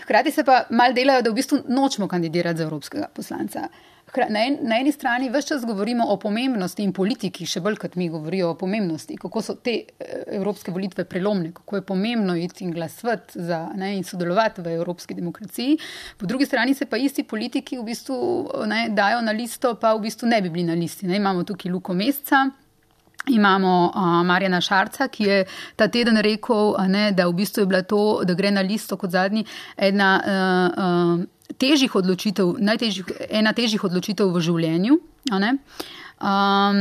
hkrati se pa mal delajo, da v bistvu nočemo kandidirati za evropskega poslanca. Na, en, na eni strani ves čas govorimo o pomembnosti in politiki, še bolj kot mi govorijo o pomembnosti, kako so te evropske volitve prelomne, kako je pomembno iti in glasovati za, ne, in sodelovati v evropski demokraciji. Po drugi strani se pa isti politiki v bistvu, ne, dajo na listo, pa v bistvu ne bi bili na listi. Ne. Imamo tukaj Luko Mesca, imamo uh, Marjana Šarca, ki je ta teden rekel, ne, da v bistvu je bila to, da gre na listo kot zadnji ena uh, uh, težjih odločitev, najtežjih, ena težjih odločitev v življenju. A ne? Um,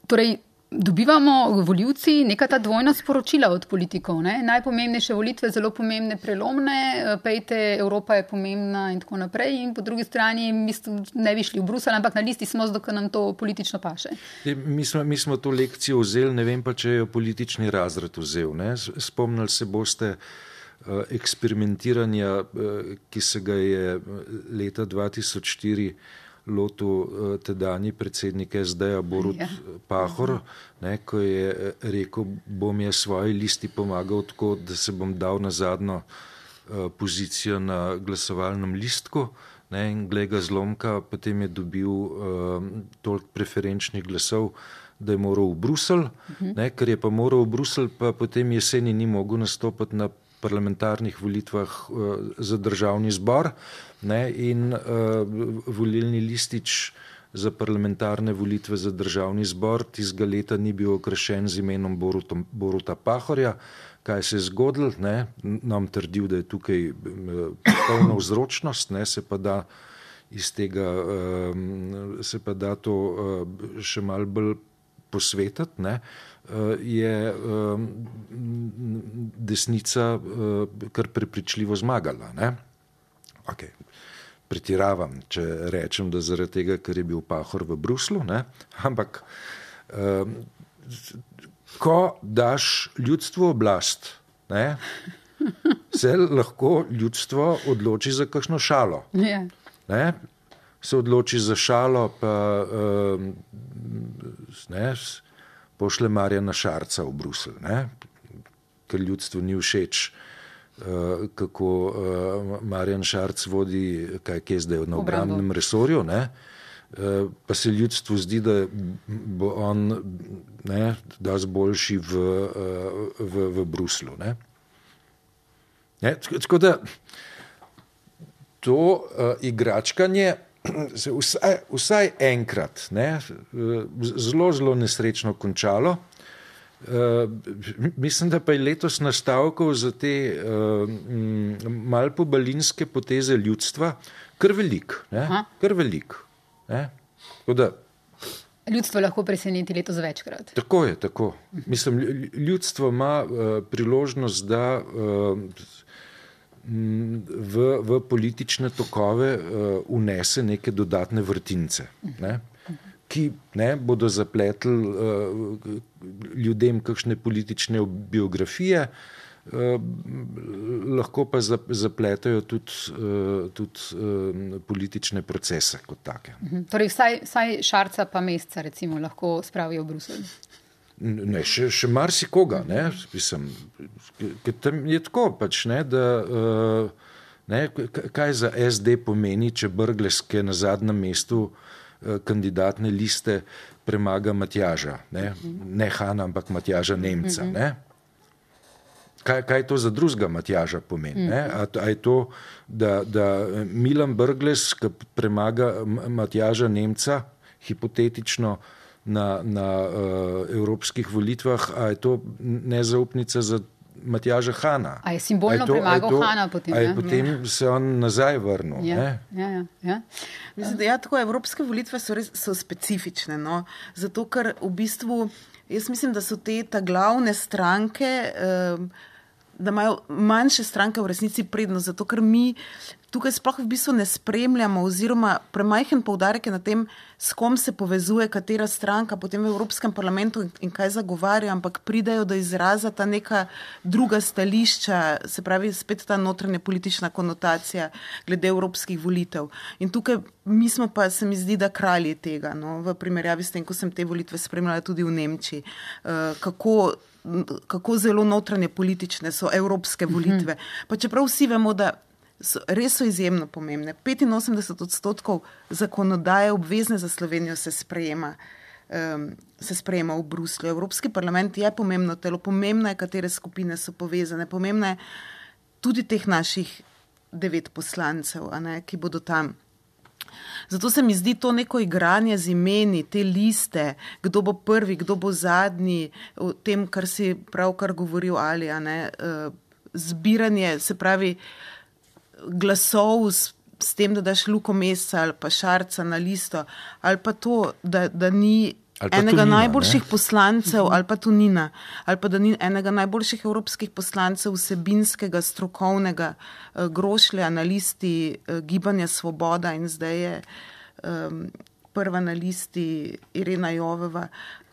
torej, dobivamo volivci neka ta dvojna sporočila od politikov. Ne? Najpomembnejše volitve, zelo pomembne, prelomne, pejte, Evropa je pomembna in tako naprej. In po drugi strani mislim, ne bi šli v Bruselj, ampak na listi smo, zato nam to politično paše. Mi smo, mi smo to lekcijo vzeli, ne vem pa, če je politični razred vzel. Ne? Spomnili se boste eksperimentiranja, ki se ga je leta dva tisoč štiri lotil tedanji predsednik es de-ja Borut ja. Pahor, ne, ko je rekel, bom jaz svoji listi pomagal tako, da se bom dal na zadnjo pozicijo na glasovalnem listku, ne, in glej ga zlomka, potem je dobil uh, toliko preferenčnih glasov, da je moral v Bruselj, uh-huh. ne, ker je pa moral v Bruselj, pa potem jeseni ni mogel nastopati na parlamentarnih volitvah uh, za državni zbor, ne, in uh, volilni listič za parlamentarne volitve za državni zbor tistega leta ni bil okrašen z imenom Boruta, Boruta Pahorja. Kaj se je zgodilo, ne, nam trdil, da je tukaj polna vzročnost, ne, se pa da iz tega, uh, se pa da to uh, še malo bolj posvetiti, ne, je desnica kar prepričljivo zmagala. Ne? Okay. Pretiravam, če rečem, da zaradi tega, ker je bil Pahor v Bruslju, ne? Ampak ko daš ljudstvu oblast, ne? Se lahko ljudstvo odloči za kakšno šalo. Yeah. Ne? Se odloči za šalo, pa ne, pošle Marjana Šarca v Bruselj, ne? Ker ljudstvu ni všeč kako Marjan Šarc vodi, kaj je zdaj na obrambnem resorju, ne? Pa se ljudstvu zdi, da bo on ne, dosti boljši v, v, v Bruslu. Ne? Ne? Tako da to uh, igračkanje se vsaj, vsaj enkrat ne, zelo, zelo nesrečno končalo. Uh, mislim, da pa je letos nastavkov za te uh, mal pobalinske poteze ljudstva kar velik. Ne? Kar velik. Ne? Da, ljudstvo lahko preseneti letos večkrat. Tako je, tako. Mislim, ljudstvo ima uh, priložnost, da uh, v, v politične tokove uh, unese neke dodatne vrtince. Ne? Ki ne, bodo zapletli uh, ljudem kakšne politične biografije, uh, lahko pa zapletajo tudi, uh, tudi uh, politične procese kot take. Torej vsaj, vsaj Šarca pa Mesca recimo lahko spravijo v Bruselj. Ne, še, še marsikoga, ne, mislim, tam je tako pač, ne, da uh, ne, kaj za S D pomeni, če Brglez, ki je na zadnjem mestu kandidatne liste, premaga Matjaža, ne, ne Hana, ampak Matjaža Nemca, ne. Kaj, kaj to za drugega Matjaža pomeni, ne? A, a je to, da, da Milan Brglez, ki premaga Matjaža Nemca, hipotetično na, na uh, evropskih volitvah, a je to nezaupnica za Matjaža Hana. A je simbolno je to, premagal je to, Hana potem? A je potem ja. se on nazaj vrnil. Ja, ne? ja, ja, ja. Mislim, da ja, tako, evropske volitve so res so specifične, no? Zato, ker v bistvu, jaz mislim, da so te ta glavne stranke, eh, da imajo manjše stranke v resnici prednost, zato, ker mi tukaj sploh v bistvu ne spremljamo oziroma premajhen poudarek je na tem, s kom se povezuje katera stranka potem v Evropskem parlamentu in kaj zagovarja, ampak pridajo do izraza ta neka druga stališča, se pravi spet ta notranja politična konotacija glede evropskih volitev. In tukaj mi smo pa, se mi zdi, da kralji tega, no, v primerjavi s tem, ko sem te volitve spremljala tudi v Nemčiji, uh, kako kako zelo notranje politične so evropske volitve. Pa čeprav vsi vemo, da so, res so izjemno pomembne. petinosemdeset odstotkov zakonodaje obvezne za Slovenijo se sprejema, um, se sprejema v Bruslju. Evropski parlament je pomembno telo, pomembno je, katere skupine so povezane, pomembno je tudi teh naših devet poslancev, a ne, ki bodo tam. Zato se mi zdi to neko igranje z imeni, te liste, kdo bo prvi, kdo bo zadnji, o tem, kar si pravkar govoril Ali, a ne, zbiranje, se pravi, glasov s, s tem, da daš Luko Mesca ali pa Šarca na listo, ali pa to, da, da ni enega Tonina, najboljših ne? poslancev, ali pa Tonina, ali pa da ni enega najboljših evropskih poslancev vsebinskega, strokovnega uh, grošlja na listi uh, Gibanja Svoboda in zdaj je um, prva na listi Irena Joveva,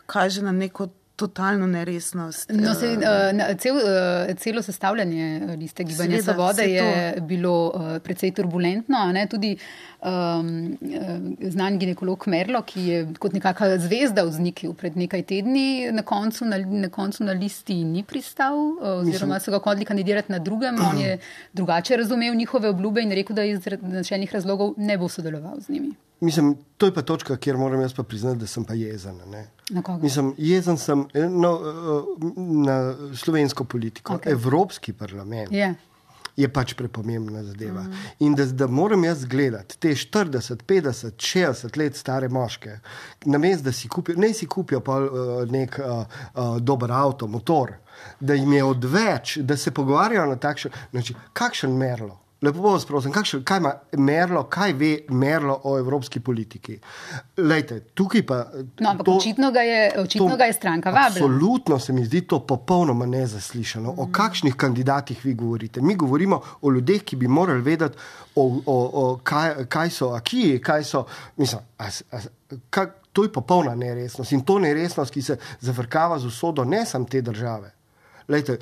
kaže na neko totalno neresnost. No, se, uh, cel, uh, celo sestavljanje liste Gibanja Seveda, Svobode je to. bilo uh, precej turbulentno, a ne, tudi um, znan ginekolog Merlo, ki je kot nekakva zvezda vznikil pred nekaj tedni, na koncu na, na, koncu na listi ni pristal, uh, oziroma so ga hodili kandidirati na drugem, on je drugače razumel njihove obljube in rekel, da iz načelnih razlogov ne bo sodeloval z njimi. Mislim, to je pa točka, kjer moram jaz pa priznati, da sem pa jezen. Ne? Na koga? Mislim, jezen sem no, na slovensko politiko. Okay. Evropski parlament yeah. je pač prepomembna zadeva. Mm. In da, da moram jaz gledati te štirideset, petdeset, šestdeset let stare moške, namesto da si kupijo, ne si kupijo pa uh, nek uh, uh, dober avto, motor, da jim je odveč, da se pogovarjajo na takšen način, kakšen Merlo. Lepo vas prosim, kakšen, kaj ima Merlo, kaj ve Merlo o evropski politiki? Lejte, tukaj pa... No, ampak to, očitno, ga je, očitno to, ga je stranka vabila. Absolutno se mi zdi to popolnoma nezaslišano. Mm. O kakšnih kandidatih vi govorite? Mi govorimo o ljudeh, ki bi morali vedeti, o, o, o kaj, kaj so akiji, kaj so... Mislim, a, a, kaj, to je popolna neresnost. In to neresnost, ki se zafrkava z usodo ne sam te države. Lejte,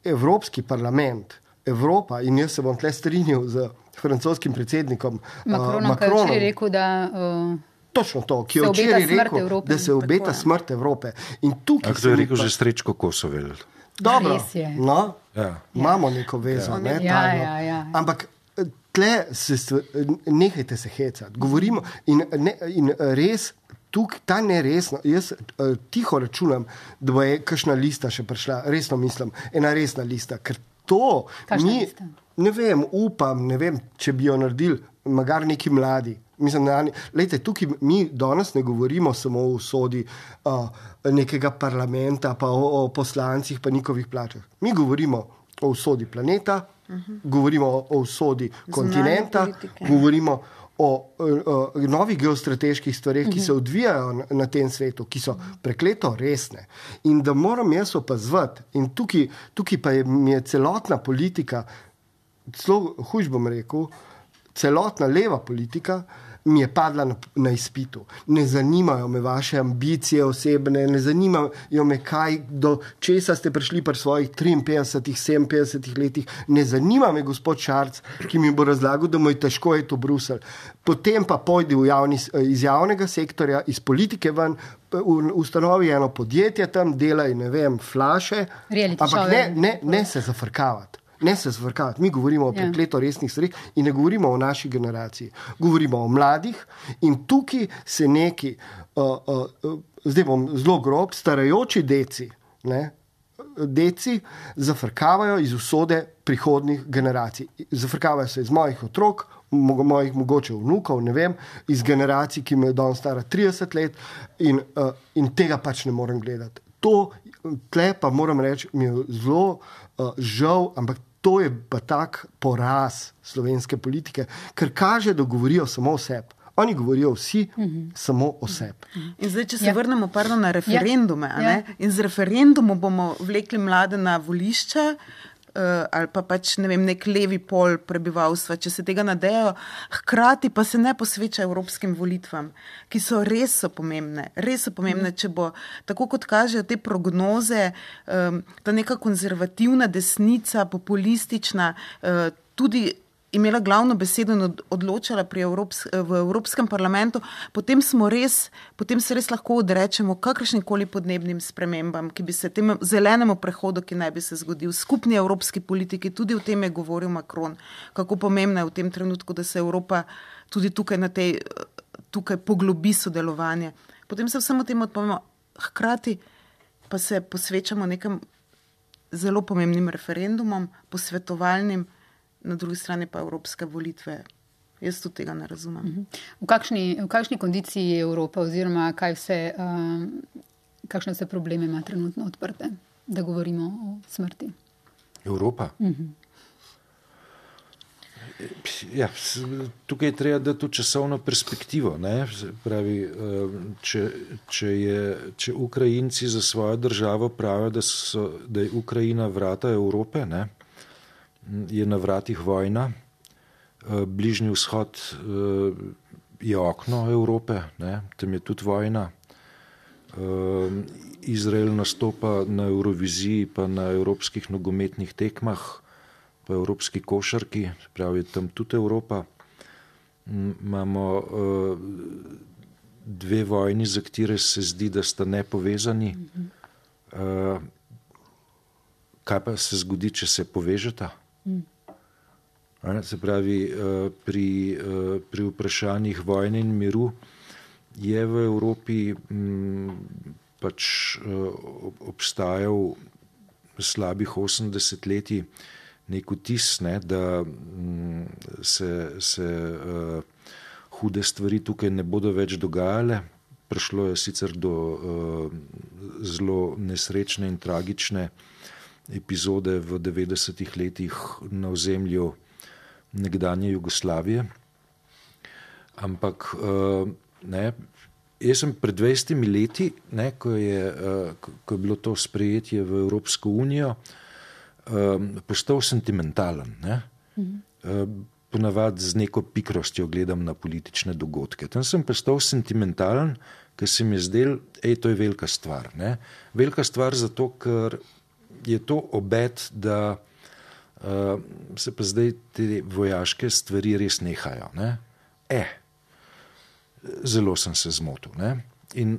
Evropski parlament, Evropa, in jaz se bom tle strinjal z francoskim predsednikom Macronom, uh, Macronom, ki je rekel, da... Uh, točno to, ki je včeraj rekel, Evrope, da se obeta smrt Evrope. In tukaj A kdo je rekel pa, že Srečko Kosovel? Dobro, Res je. no, Ja. imamo neko vezo, Ja. ne, Ja, tajno. ja, ja. Ampak tle se stvar, nehajte se hecati. Govorimo in, ne, in res, tukaj ta neresno, jaz uh, tiho računam, da bo je kakšna lista še prišla, resno mislim, ena resna lista, ker to Kakšna mi, lista? ne vem, upam, ne vem, če bi jo naredili, magar neki mladi. Mislim, da, lejte, tukaj mi danes ne govorimo samo o usodi uh, nekega parlamenta, pa o, o poslancih, pa njihovih plačah. Mi govorimo o usodi planeta, uh-huh. govorimo o, o usodi kontinenta, politike. govorimo o, o, o novih geostrateških stvareh, ki se odvijajo na, na tem svetu, ki so prekleto resne. In da moram jaz opazovati, in tukaj, tukaj pa je, mi je celotna politika, celo huž bom rekel, celotna leva politika mi je padla na, na izpitu. Ne zanimajo me vaše ambicije osebne, ne zanimajo me, kaj, do česa ste prišli pri svojih triinpetdesetih, sedeminpetdesetih letih. Ne zanima me gospod Šarc, ki mi bo razlagal, da mu je težko je to Bruselj. Potem pa pojdi v javni, iz javnega sektorja, iz politike ven, ustanovi eno podjetje tam, delaj, ne vem, flaše, Reality ampak show, ne, ja. ne, ne se zafrkavati. Ne se zvrkavati. Mi govorimo o prekleto resnih stvarih in ne govorimo o naši generaciji. Govorimo o mladih in tukaj se neki, uh, uh, uh, zdaj bom zelo grob, starajoči deci, ne, deci zafrkavajo iz usode prihodnih generacij. Zafrkavajo se iz mojih otrok, mo- mojih mogoče vnukov, ne vem, iz generacij, ki me je danes stara trideset let in, uh, in tega pač ne morem gledati. To, tle pa moram reči, mi je zelo uh, žal, ampak to je pa tak poraz slovenske politike, ker kaže, da govorijo samo o sebi. Oni govorijo vsi mm-hmm. samo o sebi. In zdaj, če se Ja. ja. vrnemo pardon, na referendume, Ja. a ne? Ja. In z referendumom bomo vlekli mlade na volišča, uh, ali pa pač ne vem, nek levi pol prebivalstva, če se tega nadejajo, hkrati pa se ne posveča evropskim volitvam, ki so res so pomembne, res so pomembne, če bo, tako kot kažejo te prognoze, um, ta neka konzervativna desnica, populistična, uh, tudi imela glavno besedo in od- odločala pri Evrops, v Evropskem parlamentu, potem smo res, potem se res lahko odrečemo kakršnikoli podnebnim spremembam, ki bi se tem zelenemu prehodu, ki naj bi se zgodil, skupni evropski politiki, tudi o tem je govoril Macron, kako pomembno je v tem trenutku, da se Evropa tudi tukaj na tej, tukaj poglobi sodelovanje. Potem se vsemu temu odpovemo, hkrati pa se posvečamo nekim zelo pomembnim referendumom, posvetovalnim, na drugi strani pa evropske volitve. Jaz tudi tega ne razumem. V kakšni, v kakšni kondiciji je Evropa oziroma kaj vse, um, kakšne vse probleme ima trenutno odprte, da govorimo o smrti? Evropa. Ja, s- tukaj je treba dati tudi časovno perspektivo. Ne? Se pravi, eh, če, če, je, če Ukrajinci za svojo državo pravijo, da, so, da je Ukrajina vrata Evrope, ne? Je na vratih vojna, eh, Bližnji vzhod eh, je okno Evrope, ne? Tam je tudi vojna. Eh, Izrael nastopa na Euroviziji pa na evropskih nogometnih tekmah, pa evropski košarki, pravi tam tudi Evropa. M- Imamo uh, dve vojni, za katere se zdi, da sta nepovezani. Uh, kaj pa se zgodi, če se povežeta? A ne, Se pravi, uh, pri, uh, pri vprašanjih vojne in miru je v Evropi m, pač uh, ob- obstajal slabih osem desetletij nek vtis, ne, da mm, se, se uh, hude stvari tukaj ne bodo več dogajale. Prišlo je sicer do uh, zelo nesrečne in tragične epizode v devetdesetih letih na ozemlju nekdanje Jugoslavije. Ampak uh, ne, jaz sem pred dvajsetimi leti, ne, ko, je, uh, ko, ko je bilo to sprejetje v Evropsko unijo, um, postal sentimentalen. Ne? Mhm. Uh, ponavadi z neko pikrostjo gledam na politične dogodke. Tam sem postal sentimentalen, ker se mi je zdel, ej, to je velika stvar. Ne? Velika stvar zato, ker je to obet, da uh, se pa zdaj te vojaške stvari res nehajo. Ne? Eh, zelo sem se zmotil. Ne? In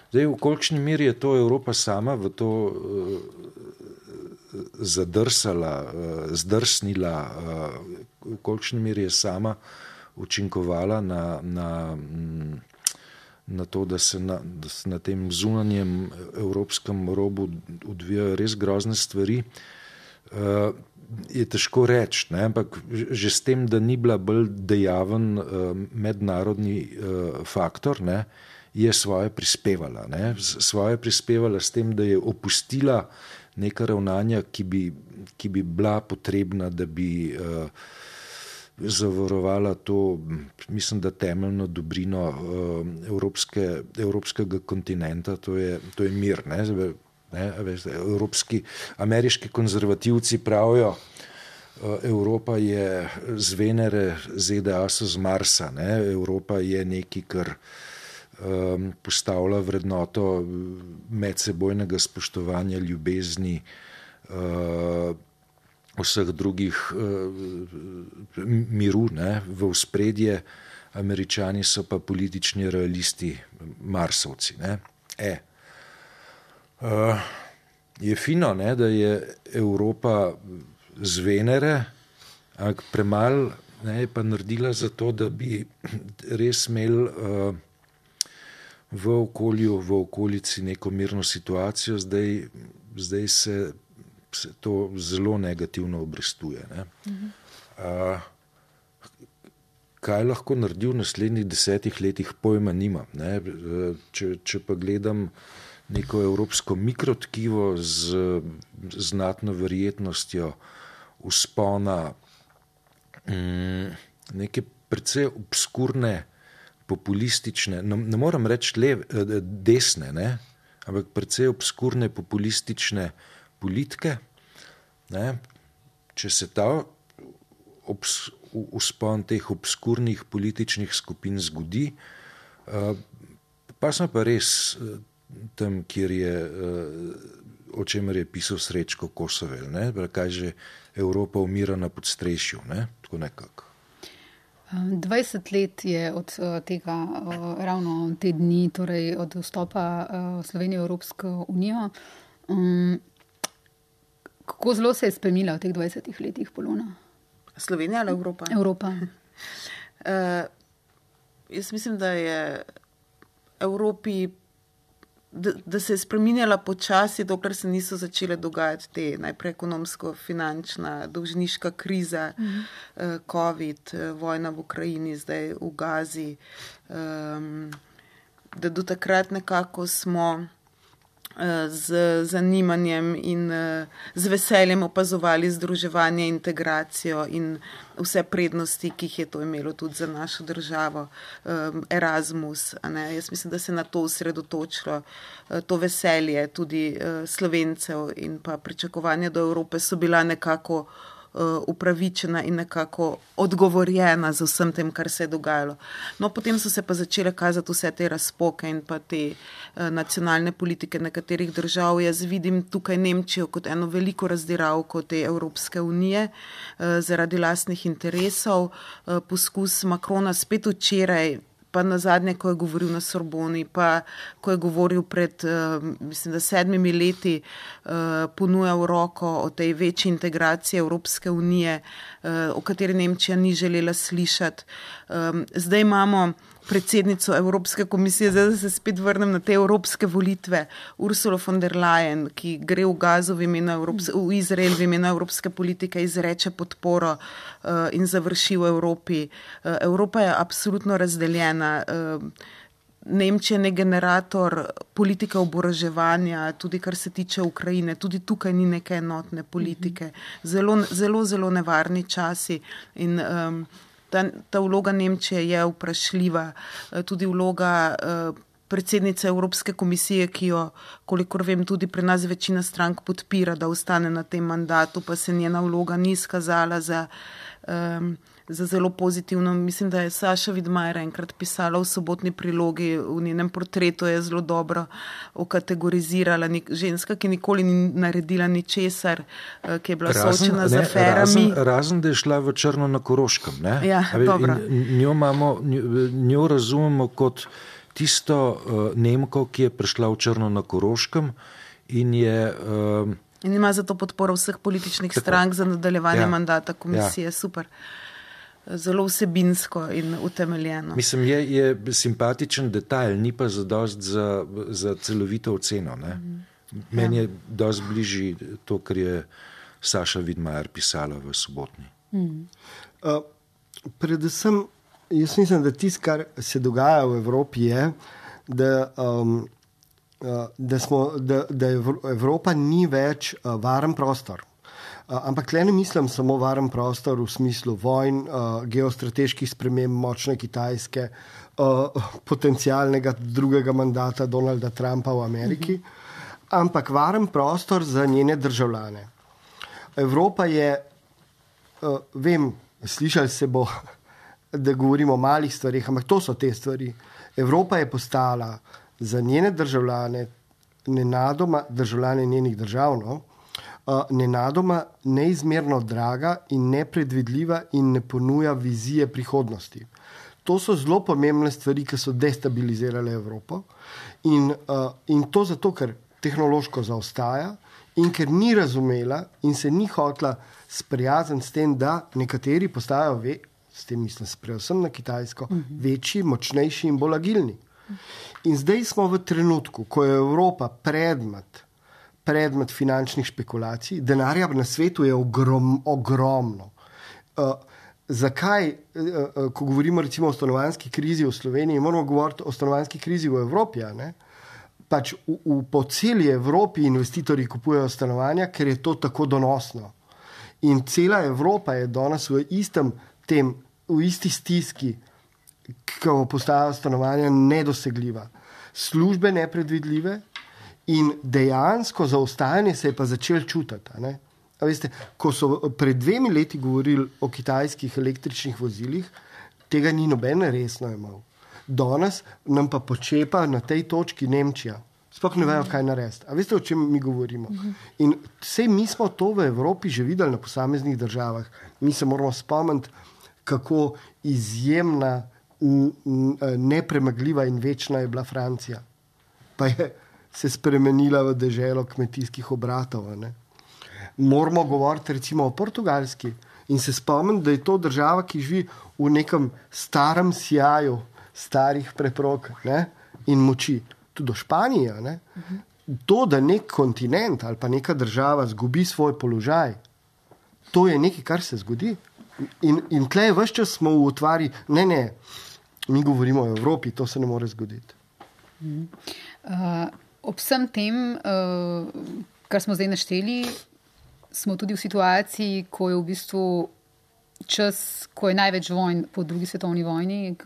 zdaj, v kolikšni meri je to Evropa sama v to uh, zadrsala, zdrsnila, v kolikšni meri je sama učinkovala na, na, na to, da se na, da se na tem zunanjem evropskem robu odvijajo res grozne stvari, je težko reči, ne? Ampak že s tem, da ni bila bolj dejaven mednarodni faktor, ne, je svoje prispevala. Ne? Svoje prispevala s tem, da je opustila neka ravnanja, ki bi, ki bi bila potrebna, da bi uh, zavarovala to, mislim, da temeljno dobrino uh, evropske, evropskega kontinenta, to je, to je mir. Ne? Ne? Evropski, ameriški konzervativci pravijo, uh, Evropa je z Venere, Z D A so z Marsa. Ne? Evropa je nekaj, kar Um, postavlja vrednoto medsebojnega spoštovanja, ljubezni, uh, vseh drugih uh, miru, ne, v ospredje. Američani so pa politični realisti, Marsovci. Ne. E. Uh, je fino, ne, da je Evropa z Venere, ampak premalo je pa naredila za to, da bi res imeli uh, v okolju, v okolici neko mirno situacijo, zdaj, zdaj se, se to zelo negativno obrestuje. Ne? Mhm. A, kaj lahko naredi v naslednjih desetih letih, pojma nimam. Ne? Če, če pa gledam neko evropsko mikrotkivo z znatno verjetnostjo vzpona mm, neke precej obskurne populistične, ne, ne moram reči lev, desne, ne, ampak precej obskurne populistične politike, ne, če se ta obs, vzpon teh obskurnih političnih skupin zgodi, pa smo pa res tam, kjer je, o čemer je pisal Srečko Kosovel, ne, kaj že Evropa umira na podstrešju, ne, tako nekako. dvajset let je od tega ravno te dni, torej od vstopa Slovenije v Evropsko unijo. Kako zelo se je spremenila v teh dvajsetih letih, Polona? Slovenija ali Evropa? Evropa. uh, jaz mislim, da je Evropi, da, da se je spreminjala počasi, dokler se niso začele dogajati te najprej ekonomsko-finančna, dolžniška kriza, mhm. uh, COVID, vojna v Ukrajini, zdaj v Gazi. Um, da do takrat nekako smo z zanimanjem in z veseljem opazovali združevanje, integracijo in vse prednosti, ki jih je to imelo tudi za našo državo. Erasmus, a ne? Jaz mislim, da se na to osredotočilo. To veselje tudi Slovencev in pa pričakovanja do Evrope so bila nekako upravičena in nekako odgovorjena z vsem tem, kar se je dogajalo. No, potem so se pa začele kazati vse te razpoke in pa te uh, nacionalne politike nekaterih držav. Jaz vidim tukaj Nemčijo kot eno veliko razdiralko te Evropske unije uh, zaradi lastnih interesov. Uh, poskus Macrona spet včeraj, pa nazadnje, ko je govoril na Sorboni, pa ko je govoril pred, uh, mislim, da sedmimi leti, uh, ponujal roko o tej večji integraciji Evropske unije, uh, o kateri Nemčija ni želela slišati. Um, zdaj imamo predsednico Evropske komisije, zdaj da se spet vrnem na te evropske volitve, Ursula von der Leyen, ki gre v Gazo v imenu Evropske, v Izrael v imenu evropske politike, izreče podporo uh, in završi v Evropi. Uh, Evropa je absolutno razdeljena. Uh, Nemčija je generator politike oboroževanja, tudi kar se tiče Ukrajine, tudi tukaj ni neke enotne politike. Zelo, zelo, zelo nevarni časi in um, Ta, ta vloga Nemčije je vprašljiva, tudi vloga uh, predsednice Evropske komisije, ki jo, kolikor vem, tudi pri nas večina strank podpira, da ostane na tem mandatu, pa se njena vloga ni izkazala za, um, za zelo pozitivno. Mislim, da je Saša Vidmajer enkrat pisala v sobotni prilogi, v njenem portretu je zelo dobro okategorizirala ženska, ki nikoli ni naredila ničesar, ki je bila soočena z aferami. Razen, razen, da je šla v Črno na Koroškem. Ne? Ja, dobro. Njo, imamo, njo razumemo kot tisto uh, Nemko, ki je prišla v Črno na Koroškem in je uh, In ima zato podporo vseh političnih Tako. strank za nadaljevanje ja. mandata komisije. Ja. Super. Zelo vsebinsko in utemeljeno. Mislim, je, je simpatičen detajl, ni pa zadost za, za celovito oceno. Ne? Mm. Meni ja. je dosti bližji to, kar je Saša Vidmajer pisala v Sobotni. Mm. Uh, predvsem, jaz mislim, da tisto, kar se dogaja v Evropi, je, da, um, uh, da, smo, da, da Evropa ni več uh, varen prostor. Uh, ampak tle ne mislim samo varen prostor v smislu vojn, uh, geostrateških sprememb, močne Kitajske, uh, potencialnega drugega mandata Donalda Trumpa v Ameriki, uh-huh. ampak varen prostor za njene državljane. Evropa je, uh, vem, slišali se bo, da govorimo o malih stvarih, ampak to so te stvari. Evropa je postala za njene državljane, nenadoma državljane njenih držav, no, nenadoma neizmerno draga in nepredvidljiva in ne ponuja vizije prihodnosti. To so zelo pomembne stvari, ki so destabilizirale Evropo in, uh, in to zato, ker tehnološko zaostaja in ker ni razumela in se ni hotela sprijazniti s tem, da nekateri postajajo, ve, s tem mislim predvsem na Kitajsko, uh-huh. večji, močnejši in bolj agilni. In zdaj smo v trenutku, ko je Evropa predmet predmet finančnih špekulacij, denarja na svetu je ogrom, ogromno. Uh, zakaj, uh, ko govorimo recimo o stanovanjski krizi v Sloveniji, moramo govoriti o stanovanjski krizi v Evropi, ne? Pač v, v, po celi Evropi investitorji kupujejo stanovanja, ker je to tako donosno. In cela Evropa je danes v istem tem, v isti stiski, ko postajajo stanovanja nedosegljiva. Službe nepredvidljive, in dejansko zaostajanje se je pa začel čutiti. Ne? A veste, ko so pred dvemi leti govorili o kitajskih električnih vozilih, tega ni noben resno imel. Danes nam pa počepa na tej točki Nemčija. Sploh ne vejo, kaj narediti. A veste, o čem mi govorimo? In vse mi smo to v Evropi že videli na posameznih državah. Mi se moramo spomniti, kako izjemna, nepremagljiva in večna je bila Francija. Pa je se spremenila v deželo kmetijskih obratov. Ne? Moramo govoriti recimo o Portugalski in se spomniti, da je to država, ki živi v nekem starem sijaju starih preprog, ne? In moči. Tudi do Španije. Ne? Uh-huh. To, da nek kontinent ali pa neka država zgubi svoj položaj, to je nekaj, kar se zgodi. In, in tle ves čas smo v utvari, ne, ne, mi govorimo o Evropi, to se ne more zgoditi. Uh-huh. Uh... Ob vsem tem, kar smo zdaj našteli, smo tudi v situaciji, ko je v bistvu čas, ko je največ vojn po drugi svetovni vojni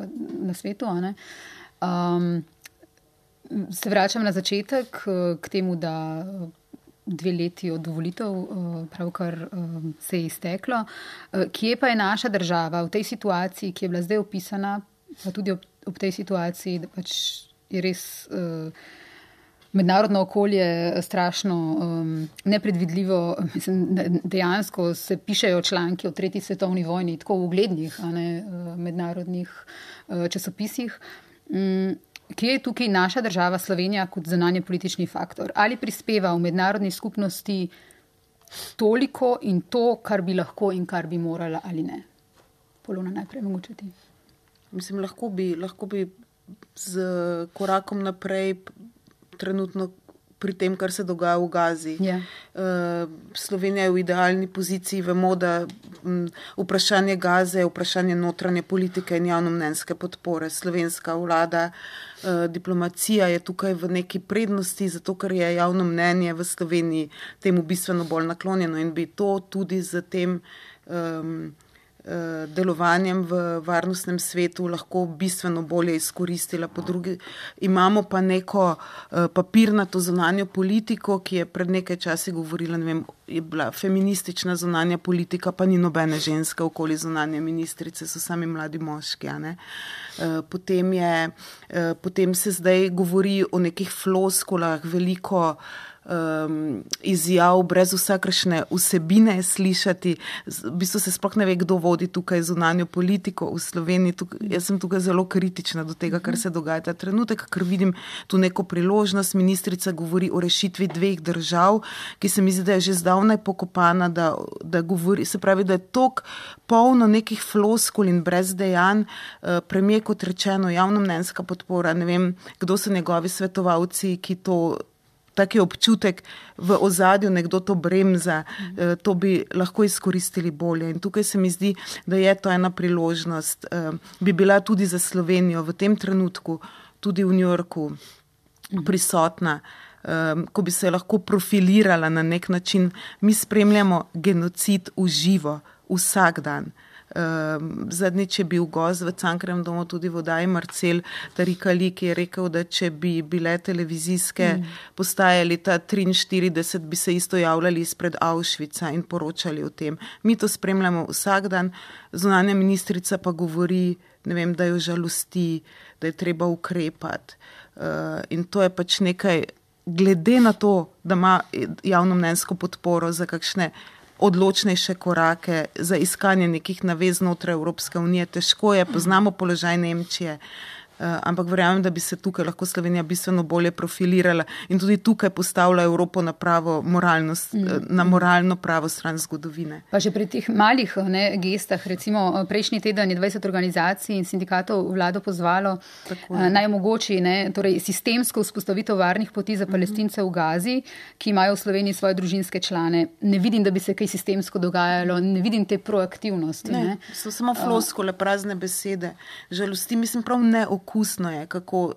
na svetu. Ne? Um, se vračam na začetek k temu, da dve leti od volitev pravkar se je izteklo. Kje pa je naša država v tej situaciji, ki je bila zdaj opisana, pa tudi ob, ob tej situaciji, da pač je res... Uh, mednarodno okolje strašno um, nepredvidljivo, mislim, dejansko se pišejo članki o tretji svetovni vojni, tako v uglednih, a ne, mednarodnih uh, časopisih. Um, kje je tukaj naša država Slovenija kot zunanje politični faktor? Ali prispeva v mednarodni skupnosti toliko in to, kar bi lahko in kar bi morala ali ne? Polona, najprej mogoče ti. Mislim, lahko bi, lahko bi z korakom naprej trenutno pri tem, kar se dogaja v Gazi. Yeah. Uh, Slovenija je v idealni poziciji. Vemo, da um, vprašanje Gaze je vprašanje notranje politike in javnomnenjske podpore. Slovenska vlada, uh, diplomacija je tukaj v neki prednosti, zato ker je javno mnenje v Sloveniji temu bistveno bolj naklonjeno in bi to tudi z tem um, delovanjem v varnostnem svetu lahko bistveno bolje izkoristila. Po drugi, imamo pa neko uh, papirnato zunanjo politiko, ki je pred nekaj časi govorila, ne vem, je bila feministična zunanja politika, pa ni nobene ženske okoli zunanje ministrice, so sami mladi moški. A ne? Uh, potem, je, uh, potem se zdaj govori o nekih floskulah, veliko um, izjav, brez vsakršne vsebine slišati. V bistvu se sploh ne ve, kdo vodi tukaj zunanjo politiko v Sloveniji. Tukaj, jaz sem tukaj zelo kritična do tega, kar se dogaja ta trenutek, ker vidim tu neko priložnost. Ministrica govori o rešitvi dveh držav, ki se mi zdi, da je že zdavnaj pokopana, da, da govori, se pravi, da je tok polno nekih floskul in brez dejanj. Premijer, kot rečeno, javnomnenjska podpora, ne vem, kdo so njegovi svetovalci, ki to, taki občutek v ozadju, nekdo to bremza, to bi lahko izkoristili bolje. In tukaj se mi zdi, da je to ena priložnost, bi bila tudi za Slovenijo v tem trenutku, tudi v New Yorku prisotna, ko bi se lahko profilirala na nek način. Mi spremljamo genocid v živo, vsak dan. Zadnjič je bil gost v Cankarjevem domu tudi v oddaji Marcel Tarikali, ki je rekel, da če bi bile televizijske mm. postaje leta triinštirideset, bi se isto javljali izpred Auschwitza in poročali o tem. Mi to spremljamo vsak dan, zunanja ministrica pa govori, ne vem, da jo žalosti, da je treba ukrepati. In to je pač nekaj, glede na to, da ima javnomnenjsko podporo za kakšne odločnejše korake, za iskanje nekih navez znotraj Evropske unije. Težko je, poznamo položaj Nemčije, ampak verjamem, da bi se tukaj lahko Slovenija bistveno bolje profilirala in tudi tukaj postavlja Evropo na pravo moralnost, na moralno pravo stran zgodovine. Pa že pri teh malih ne, gestah, recimo prejšnji teden je dvajset organizacij in sindikatov vlado pozvalo naj omogoči ne, torej sistemsko vzpostavitev varnih poti za Palestince v Gazi, ki imajo v Sloveniji svoje družinske člane. Ne vidim, da bi se kaj sistemsko dogajalo, ne vidim te proaktivnosti. Ne, ne. So samo floskole, prazne besede. Žalosti, mislim, prav ne okusno je, kako uh,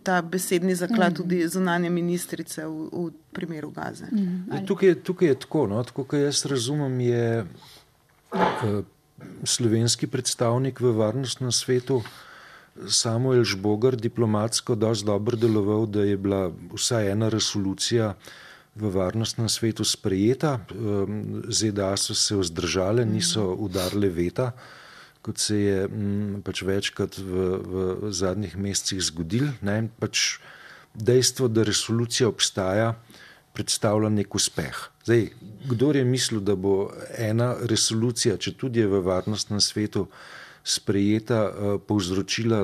ta besedni zaklad tudi zunanje ministrice v, v primeru Gaze. Mm, tukaj, tukaj je tako, no, tako kot jaz razumem, je uh, slovenski predstavnik v varnostnem svetu Samuel Žbogar diplomatsko dosti dobro deloval, da je bila vsaj ena resolucija v varnostnem svetu sprejeta. Um, ZDA so se vzdržale, niso udarile veta, kot se je m, pač večkrat v, v zadnjih mesecih zgodil. Ne? Pač dejstvo, da resolucija obstaja, predstavlja nek uspeh. Zdaj, kdor je mislil, da bo ena resolucija, če tudi je v varnostnem svetu sprejeta, povzročila,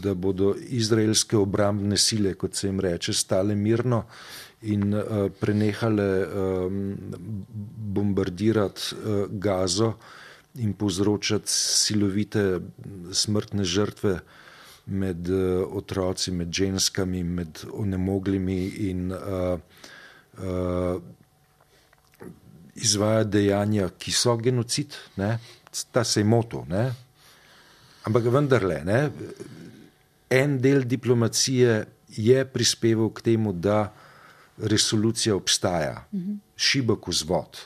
da bodo izraelske obrambne sile, kot se jim reče, stale mirno in prenehale bombardirati Gazo in povzročati silovite smrtne žrtve med otroci, med ženskami, med onemoglimi in uh, uh, izvaja dejanja, ki so genocid, ne? Ta se je motil, ne? Ampak vendarle, ne? En del diplomacije je prispeval k temu, da resolucija obstaja, mm-hmm. šibek vzvod.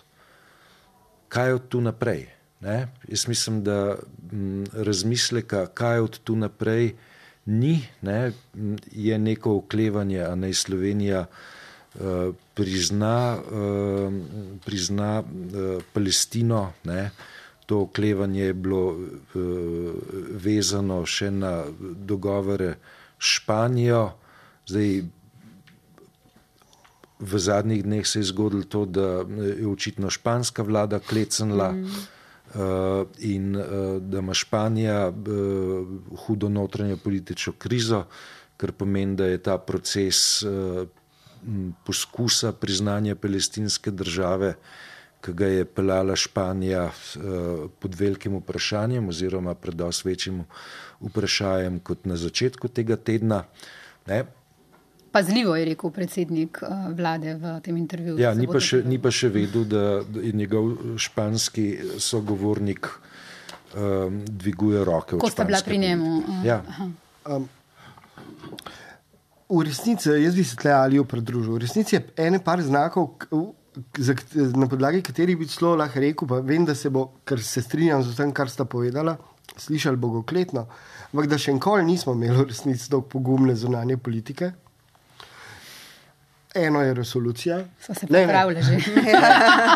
Kaj od tu naprej? Ne? Jaz mislim, da m, razmisleka, kaj od tu naprej ni, ne? Je neko oklevanje, a naj Slovenija uh, prizna, uh, prizna uh, Palestino. Ne? To oklevanje je bilo uh, vezano še na dogovore s Španijo. Zdaj, v zadnjih dneh se je zgodilo to, da je očitno španska vlada klecnila, mm. Uh, in uh, da ima Španija uh, hudo notranjo politično krizo, kar pomeni, da je ta proces uh, poskusa priznanja palestinske države, ki ga je peljala Španija uh, pod velikim vprašanjem oziroma pred dosti večjim vprašanjem kot na začetku tega tedna. Ne? Pazljivo je rekel predsednik vlade v tem intervjuju. Ja, ni pa, še, ni pa še vedel, da je njegov španski sogovornik um, dviguje roke. Ko sta bila pri njemu. Ja. Um, v resnici, jaz bi se tle Aliju pridružil, v resnici je ene par znakov, na podlagi katerih bi celo lahko rekel, pa vem, da se bo, ker se strinjam z tem, kar sta povedala, slišali bogokletno, ampak da še enkoli nismo imeli v resnici tako pogumne zunanje politike. Eno je resolucija. So se pripravili že.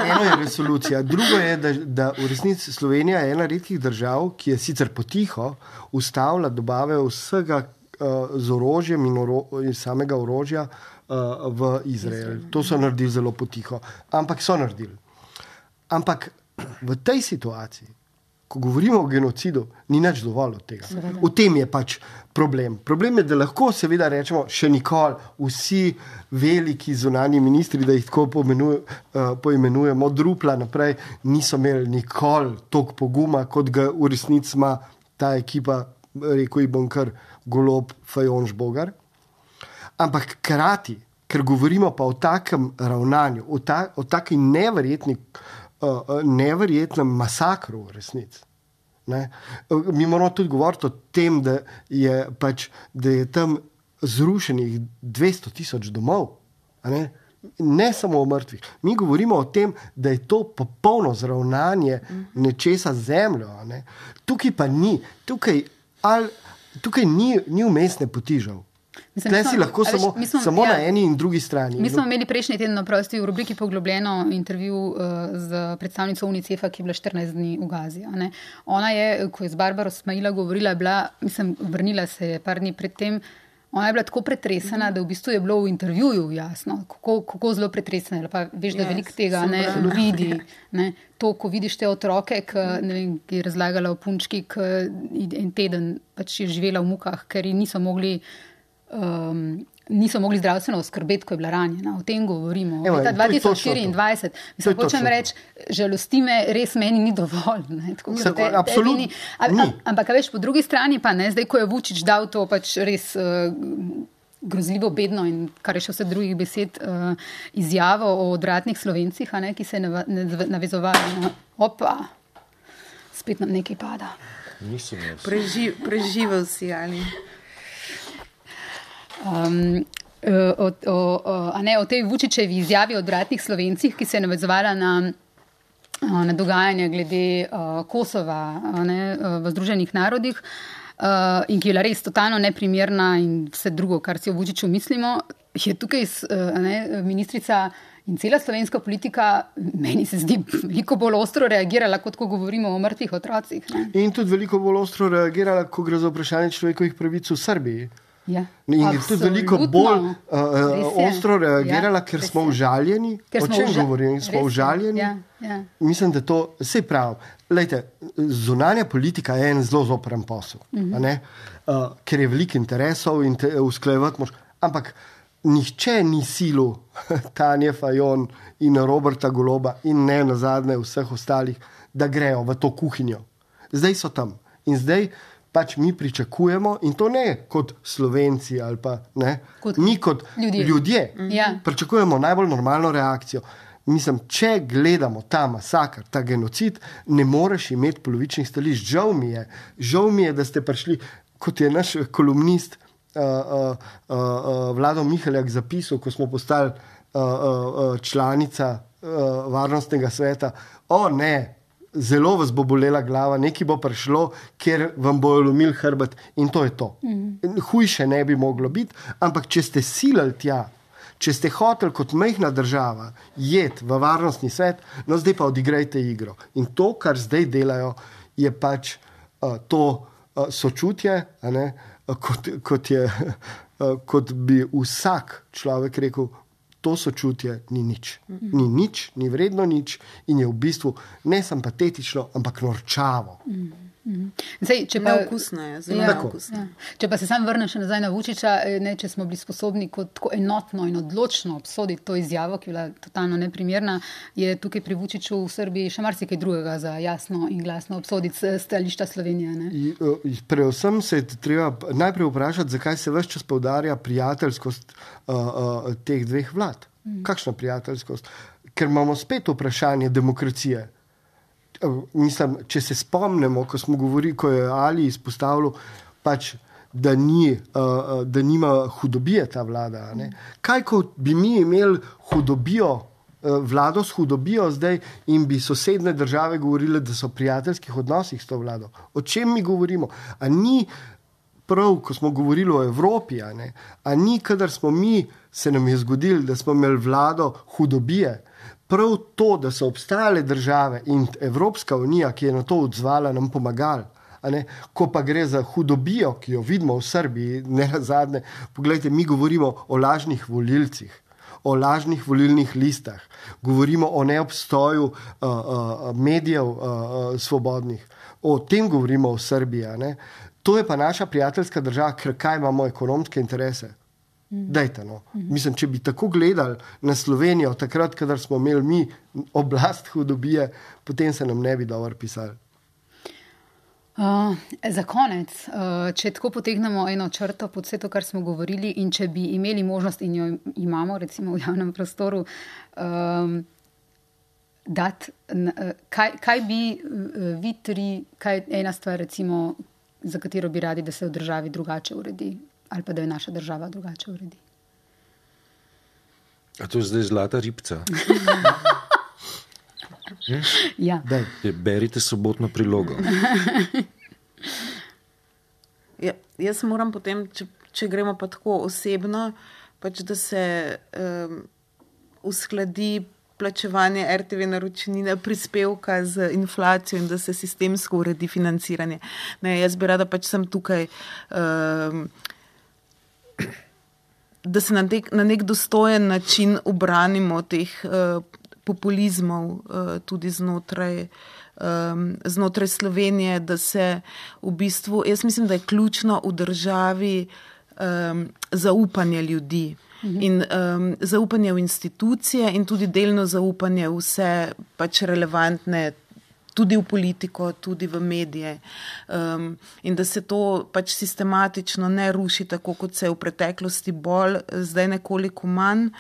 Eno je resolucija. Drugo je, da, da v resnici Slovenija je ena redkih držav, ki je sicer potiho ustavila dobave vsega uh, z orožjem in, oro, in samega orožja uh, v Izrael. To so naredili zelo potiho, ampak so naredili. Ampak v tej situaciji, ko govorimo o genocidu, ni nič dovolj od tega. V tem je pač problem. Problem je, da lahko seveda rečemo, še nikoli vsi veliki zunanji ministri, da jih tako pomenuje, uh, poimenujemo od Rupla naprej, niso imeli nikoli toliko poguma, kot ga v resnici ima ta ekipa, rekel ji bom kar Golob, Fajon, Žbogar. Ampak krati, ker govorimo pa o takem ravnanju, o, ta, o taki neverjetni Uh, neverjetnem masakru v resnici. Ne? Mi moramo tudi govoriti o tem, da je, pač, da je tam zrušenih dvesto tisoč domov. Ne? ne samo o mrtvih. Mi govorimo o tem, da je to popolno zravnanje nečesa z zemljo. Ne? Tukaj pa ni. Tukaj, al, tukaj ni, ni vmesne poti žal. Mislim, Tle si smo, lahko samo, veš, smo, samo ja, na eni in drugi strani. Mi smo imeli prejšnji teden naprosti v rubriki Poglobljeno intervju uh, z predstavnico UNICEF-a, ki je bila štirinajst dni v Gazi. Ne? Ona je, ko je z Barbaro Smaila govorila, bila, mislim, vrnila se je par dni pred tem, ona je bila tako pretresena, da v bistvu je bilo v intervjuju jasno, kako, kako zelo pretresena. Pa veš, da yes, veliko tega ne vidi. Ne? To, ko vidiš te otroke, ki, ne vem, ki je razlagala o punčki, ki en teden pač je živela v mukah, ker ji niso mogli Um, niso mogli zdravstveno oskrbeti, ko je bila ranjena. O tem govorimo. Evo, leta dva tisoč štiriindvajset. Mislim, hočem reči, žalosti me, res meni ni dovolj. Ne, tako, Se, te, absolutno te ni. Ampak, veš, po drugi strani pa ne, zdaj, ko je Vučić dal to pač res uh, grozljivo, bedno in kar je še vse drugih besed, uh, izjavo o odvratnih Slovencih, a ne, ki se je nav, navezovali na opa, spet nam nekaj pada. Preži, preživel si, ali... Um, o, o, o, a ne, o tej Vučićevi izjavi o odvratnih Slovencih, ki se je navezovala na, na dogajanje glede uh, Kosova a ne, v Združenih narodih uh, in ki je bila res totalno neprimerna in vse drugo, kar si o Vučiću mislimo, je tukaj uh, a ne, ministrica in cela slovenska politika, meni se zdi, veliko bolj ostro reagirala, kot ko govorimo o mrtvih otrocih. Ne. In tudi veliko bolj ostro reagirala, ko gre za vprašanje človekovih pravic v Srbiji. Ja, in je tudi veliko bolj uh, ostro reagirala, ja, ker smo užaljeni. Ker smo o čem uža... govorim? Smo užaljeni. Ja, ja. Mislim, da to vse prav. Lejte, zunanja politika je en zelo zopren posel, uh-huh. a ne? Uh, ker je veliko interesov in te usklajevati mož. Ampak nihče ni silil Tanje Fajon in Roberta Goloba in ne nazadnje vseh ostalih, da grejo v to kuhinjo. Zdaj so tam. In zdaj pač mi pričakujemo, in to ne kot Slovenci ali pa ne, kot mi kot ljudje, ljudje ja. pričakujemo najbolj normalno reakcijo. Mislim, če gledamo ta masakr, ta genocid, ne moreš imeti polovičnih stališč. Žal mi je, žal mi je, da ste prišli, kot je naš kolumnist uh, uh, uh, Vlado Mihaljak zapisal, ko smo postali uh, uh, članica uh, varnostnega sveta, o ne, zelo vas bo bolela glava, nekaj bo prišlo, ker vam bojo lomili hrbet in to je to. Mm. Hujše ne bi moglo biti, ampak če ste silali tja, če ste hoteli kot majhna država jeti v varnostni svet, no zdaj pa odigrajte igro. In to, kar zdaj delajo, je pač uh, to uh, sočutje, a ne, uh, kot, kot, je, uh, kot bi vsak človek rekel, to sočutje ni nič. Mm-hmm. Ni nič, ni vredno nič in je v bistvu ne samo patetično, ampak norčavo. Mm-hmm. Zdaj, če pa, neokusno je, zelo ja, neokusno. Ja. Če pa se sam vrnem še nazaj na Vučića, ne, če smo bili sposobni kot tako enotno in odločno obsoditi to izjavo, ki je bila totalno neprimerna, je tukaj pri Vučiću v Srbiji še marsikaj drugega za jasno in glasno obsoditi stališča Slovenije. Ne? Predvsem se je treba najprej vprašati, zakaj se ves čas poudarja prijateljskost uh, uh, teh dveh vlad. Mm. Kakšna prijateljskost? Ker imamo spet vprašanje demokracije. Mislim, če se spomnimo, ko smo govorili, ko je Ali izpostavil, pač, da, ni, uh, da nima hudobije ta vlada. Ne? Kaj, ko bi mi imeli hudobijo, uh, vlado s hudobijo zdaj in bi sosedne države govorile, da so v prijateljskih odnosih s to vlado? O čem mi govorimo? A ni prav, ko smo govorili o Evropi, a, ne? A ni, kadar smo mi, se nam je zgodilo, da smo imeli vlado hudobije? Prav to, da so obstajale države in Evropska unija, ki je na to odzvala, nam pomagali. Ko pa gre za hudobijo, ki jo vidimo v Srbiji, ne nazadnje, poglejte, mi govorimo o lažnih volilcih, o lažnih volilnih listah, govorimo o neobstoju uh, uh, medijev uh, svobodnih, o tem govorimo v Srbiji. Ne? To je pa naša prijateljska država, ker kaj imamo ekonomske interese. Dajte, no. Mislim, če bi tako gledali na Slovenijo, takrat, kadar smo imeli mi oblast hudobije, potem se nam ne bi dobro pisali. Uh, za konec, uh, če tako potegnemo eno črto pod vse to, kar smo govorili, in če bi imeli možnost, in jo imamo recimo v javnem prostoru, um, dati, uh, kaj, kaj bi uh, vi tri, kaj ena stvar recimo, za katero bi radi, da se v državi drugače uredi, ali pa da je naša država drugače uredi. A to je zdaj zlata ribca? hm? Ja. Berite sobotno prilogo. ja, jaz moram potem, če, če gremo pa tako osebno, pač da se um, uskladi plačevanje er te ve naročnine, prispevka z inflacijo in da se sistemsko uredi financiranje. Ne, jaz bi rada pač sem tukaj um, da se na, tek, na nek dostojen način ubranimo teh uh, populizmov uh, tudi znotraj, um, znotraj Slovenije, da se v bistvu, jaz mislim, da je ključno v državi um, zaupanje ljudi. In um, zaupanje v institucije in tudi delno zaupanje v vse pač relevantne, tudi v politiko, tudi v medije. Um, in da se to pač sistematično ne ruši tako, kot se je v preteklosti bolj, zdaj nekoliko manj.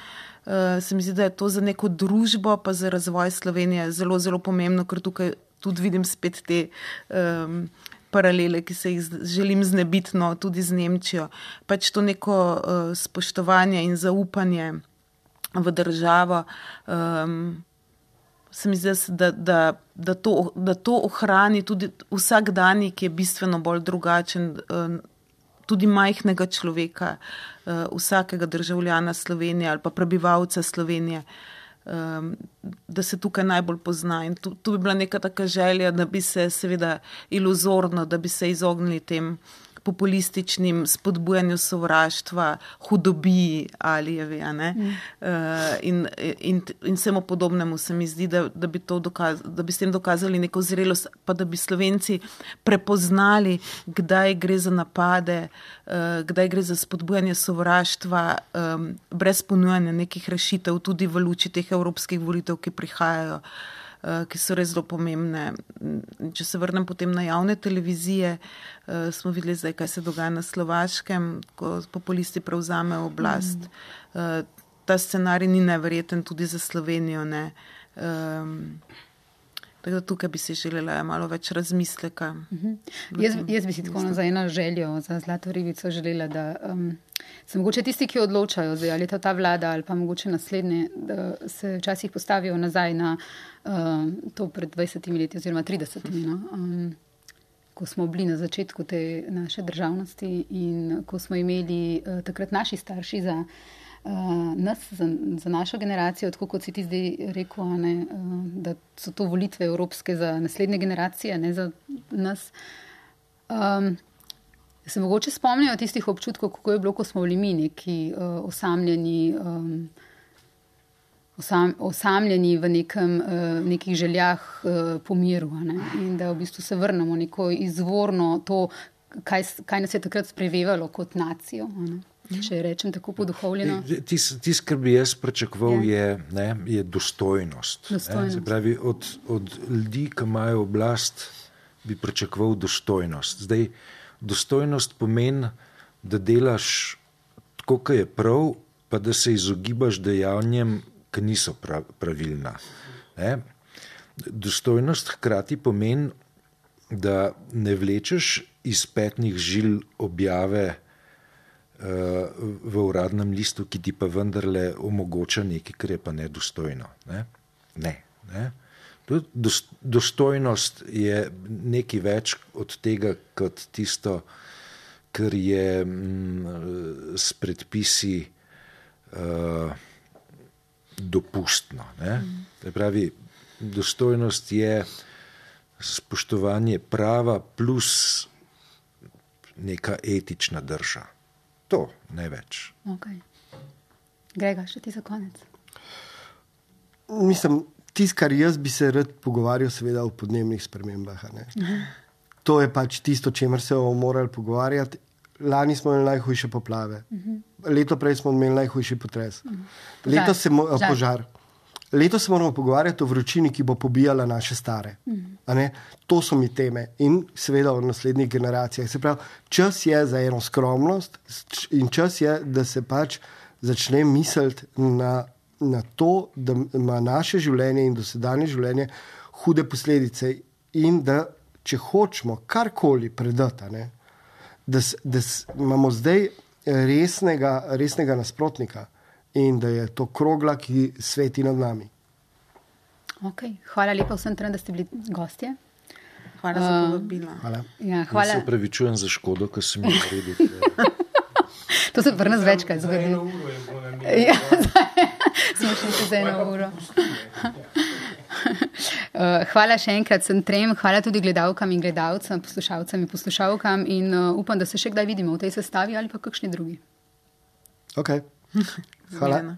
Uh, se mi zdi, da je to za neko družbo, pa za razvoj Slovenije zelo, zelo pomembno, ker tukaj tudi vidim spet te um, paralele, ki se jih želim znebiti, no, tudi z Nemčijo. Pač to neko uh, spoštovanje in zaupanje v državo, um, se mi zdi, da, da, da, to, da to ohrani tudi vsak dan, ki je bistveno bolj drugačen, uh, tudi majhnega človeka, uh, vsakega državljana Slovenije ali pa prebivalca Slovenije, Um, da se tukaj najbolj pozna. In tu, tu bi bila neka taka želja, da bi se seveda iluzorno, da bi se izognili tem populističnim spodbujanju sovraštva, hudobiji ali je ve, ne? Mm. Uh, in, in, in vsemu podobnemu se mi zdi, da, da, bi to dokaz, da bi s tem dokazali neko zrelost, pa da bi Slovenci prepoznali, kdaj gre za napade, uh, kdaj gre za spodbujanje sovraštva, um, brez ponujanja nekih rešitev, tudi v luči teh evropskih volitev, ki prihajajo, ki so res zelo pomembne. Če se vrnem potem na javne televizije, smo videli zdaj, kaj se dogaja na Slovaškem, ko populisti prevzamejo oblast. Mm. Ta scenarij ni neverjeten tudi za Slovenijo. Ne. Tako da tukaj bi si želela malo več razmisleka. Mm-hmm. Jaz, jaz bi si tako za eno željo, za zlato ribico želela, da um, se mogoče tisti, ki odločajo, zdaj, ali je to ta vlada ali pa mogoče naslednje, da se včasih postavijo nazaj na uh, to pred dvajsetimi leti oziroma tridesetimi, no? um, ko smo bili na začetku te naše državnosti in ko smo imeli uh, takrat naši starši za Uh, nas, za, za našo generacijo, tako kot si ti zdaj rekel, ne, uh, da so to volitve evropske za naslednje generacije, ne za nas. Um, se mogoče spomnijo tistih občutkov, kako je bilo, ko smo bili mi neki uh, osamljeni, um, osam, osamljeni v nekem, uh, nekih željah uh, po miru, ne, in da v bistvu se vrnemo neko izvorno to, kaj, kaj nas je takrat sprevevalo kot nacijo, ne. Če rečem tako poduhovljeno. Tisto, kar bi jaz pričakoval, je, ne, je dostojnost. dostojnost. Se pravi, od, od ljudi, ki imajo oblast, bi pričakoval dostojnost. Zdaj, dostojnost pomeni, da delaš tako, kot je prav, pa da se izogibaš dejanjem, ki niso pravilna. Ne? Dostojnost hkrati pomeni, da ne vlečeš iz petnih žil objave v uradnem listu, ki ti pa vendarle omogoča nekaj, kar je pa nedostojno. Ne? Ne, ne. Dostojnost je nekaj več od tega, kot tisto, kar je m, s predpisi uh, dopustno. Ne? Mm. Pravi, dostojnost je spoštovanje prava plus neka etična drža. To, ne več. Okay. Grega, še ti za konec. Mislim, tisto, kar jaz bi se rad pogovarjal, seveda o podnebnih spremembah. To je pač tisto, o čemer se bomo morali pogovarjati. Lani smo imeli najhujše poplave. Leto prej smo imeli najhujši potres. Leto se mo- požar. Leto se moramo pogovarjati o vročini, ki bo pobijala naše stare. A ne? To so mi teme. In seveda o naslednjih generacijah. Se pravi, čas je za eno skromnost in čas je, da se pač začne misliti na, na to, da ima naše življenje in dosedanje življenje hude posledice in da, če hočemo karkoli predati, ne, da, da imamo zdaj resnega, resnega nasprotnika in da je to krogla, ki sveti nad nami. Okay. Hvala lepa vsem trem, da ste bili gostje. Hvala uh, za povabilo. Hvala. Ja, hvala. Jaz se opravičujem za škodo, ki sem jo naredil. To se pri nas večkrat zgodi. Za eno uro je bilo na ja, smo šli se za eno uro. Uh, hvala še enkrat sem trem, hvala tudi gledalkam in gledalcem, poslušalcem in poslušalkam in uh, upam, da se še kdaj vidimo v tej sestavi ali pa kakšni drugi. Ok. Hvala. Zmijena.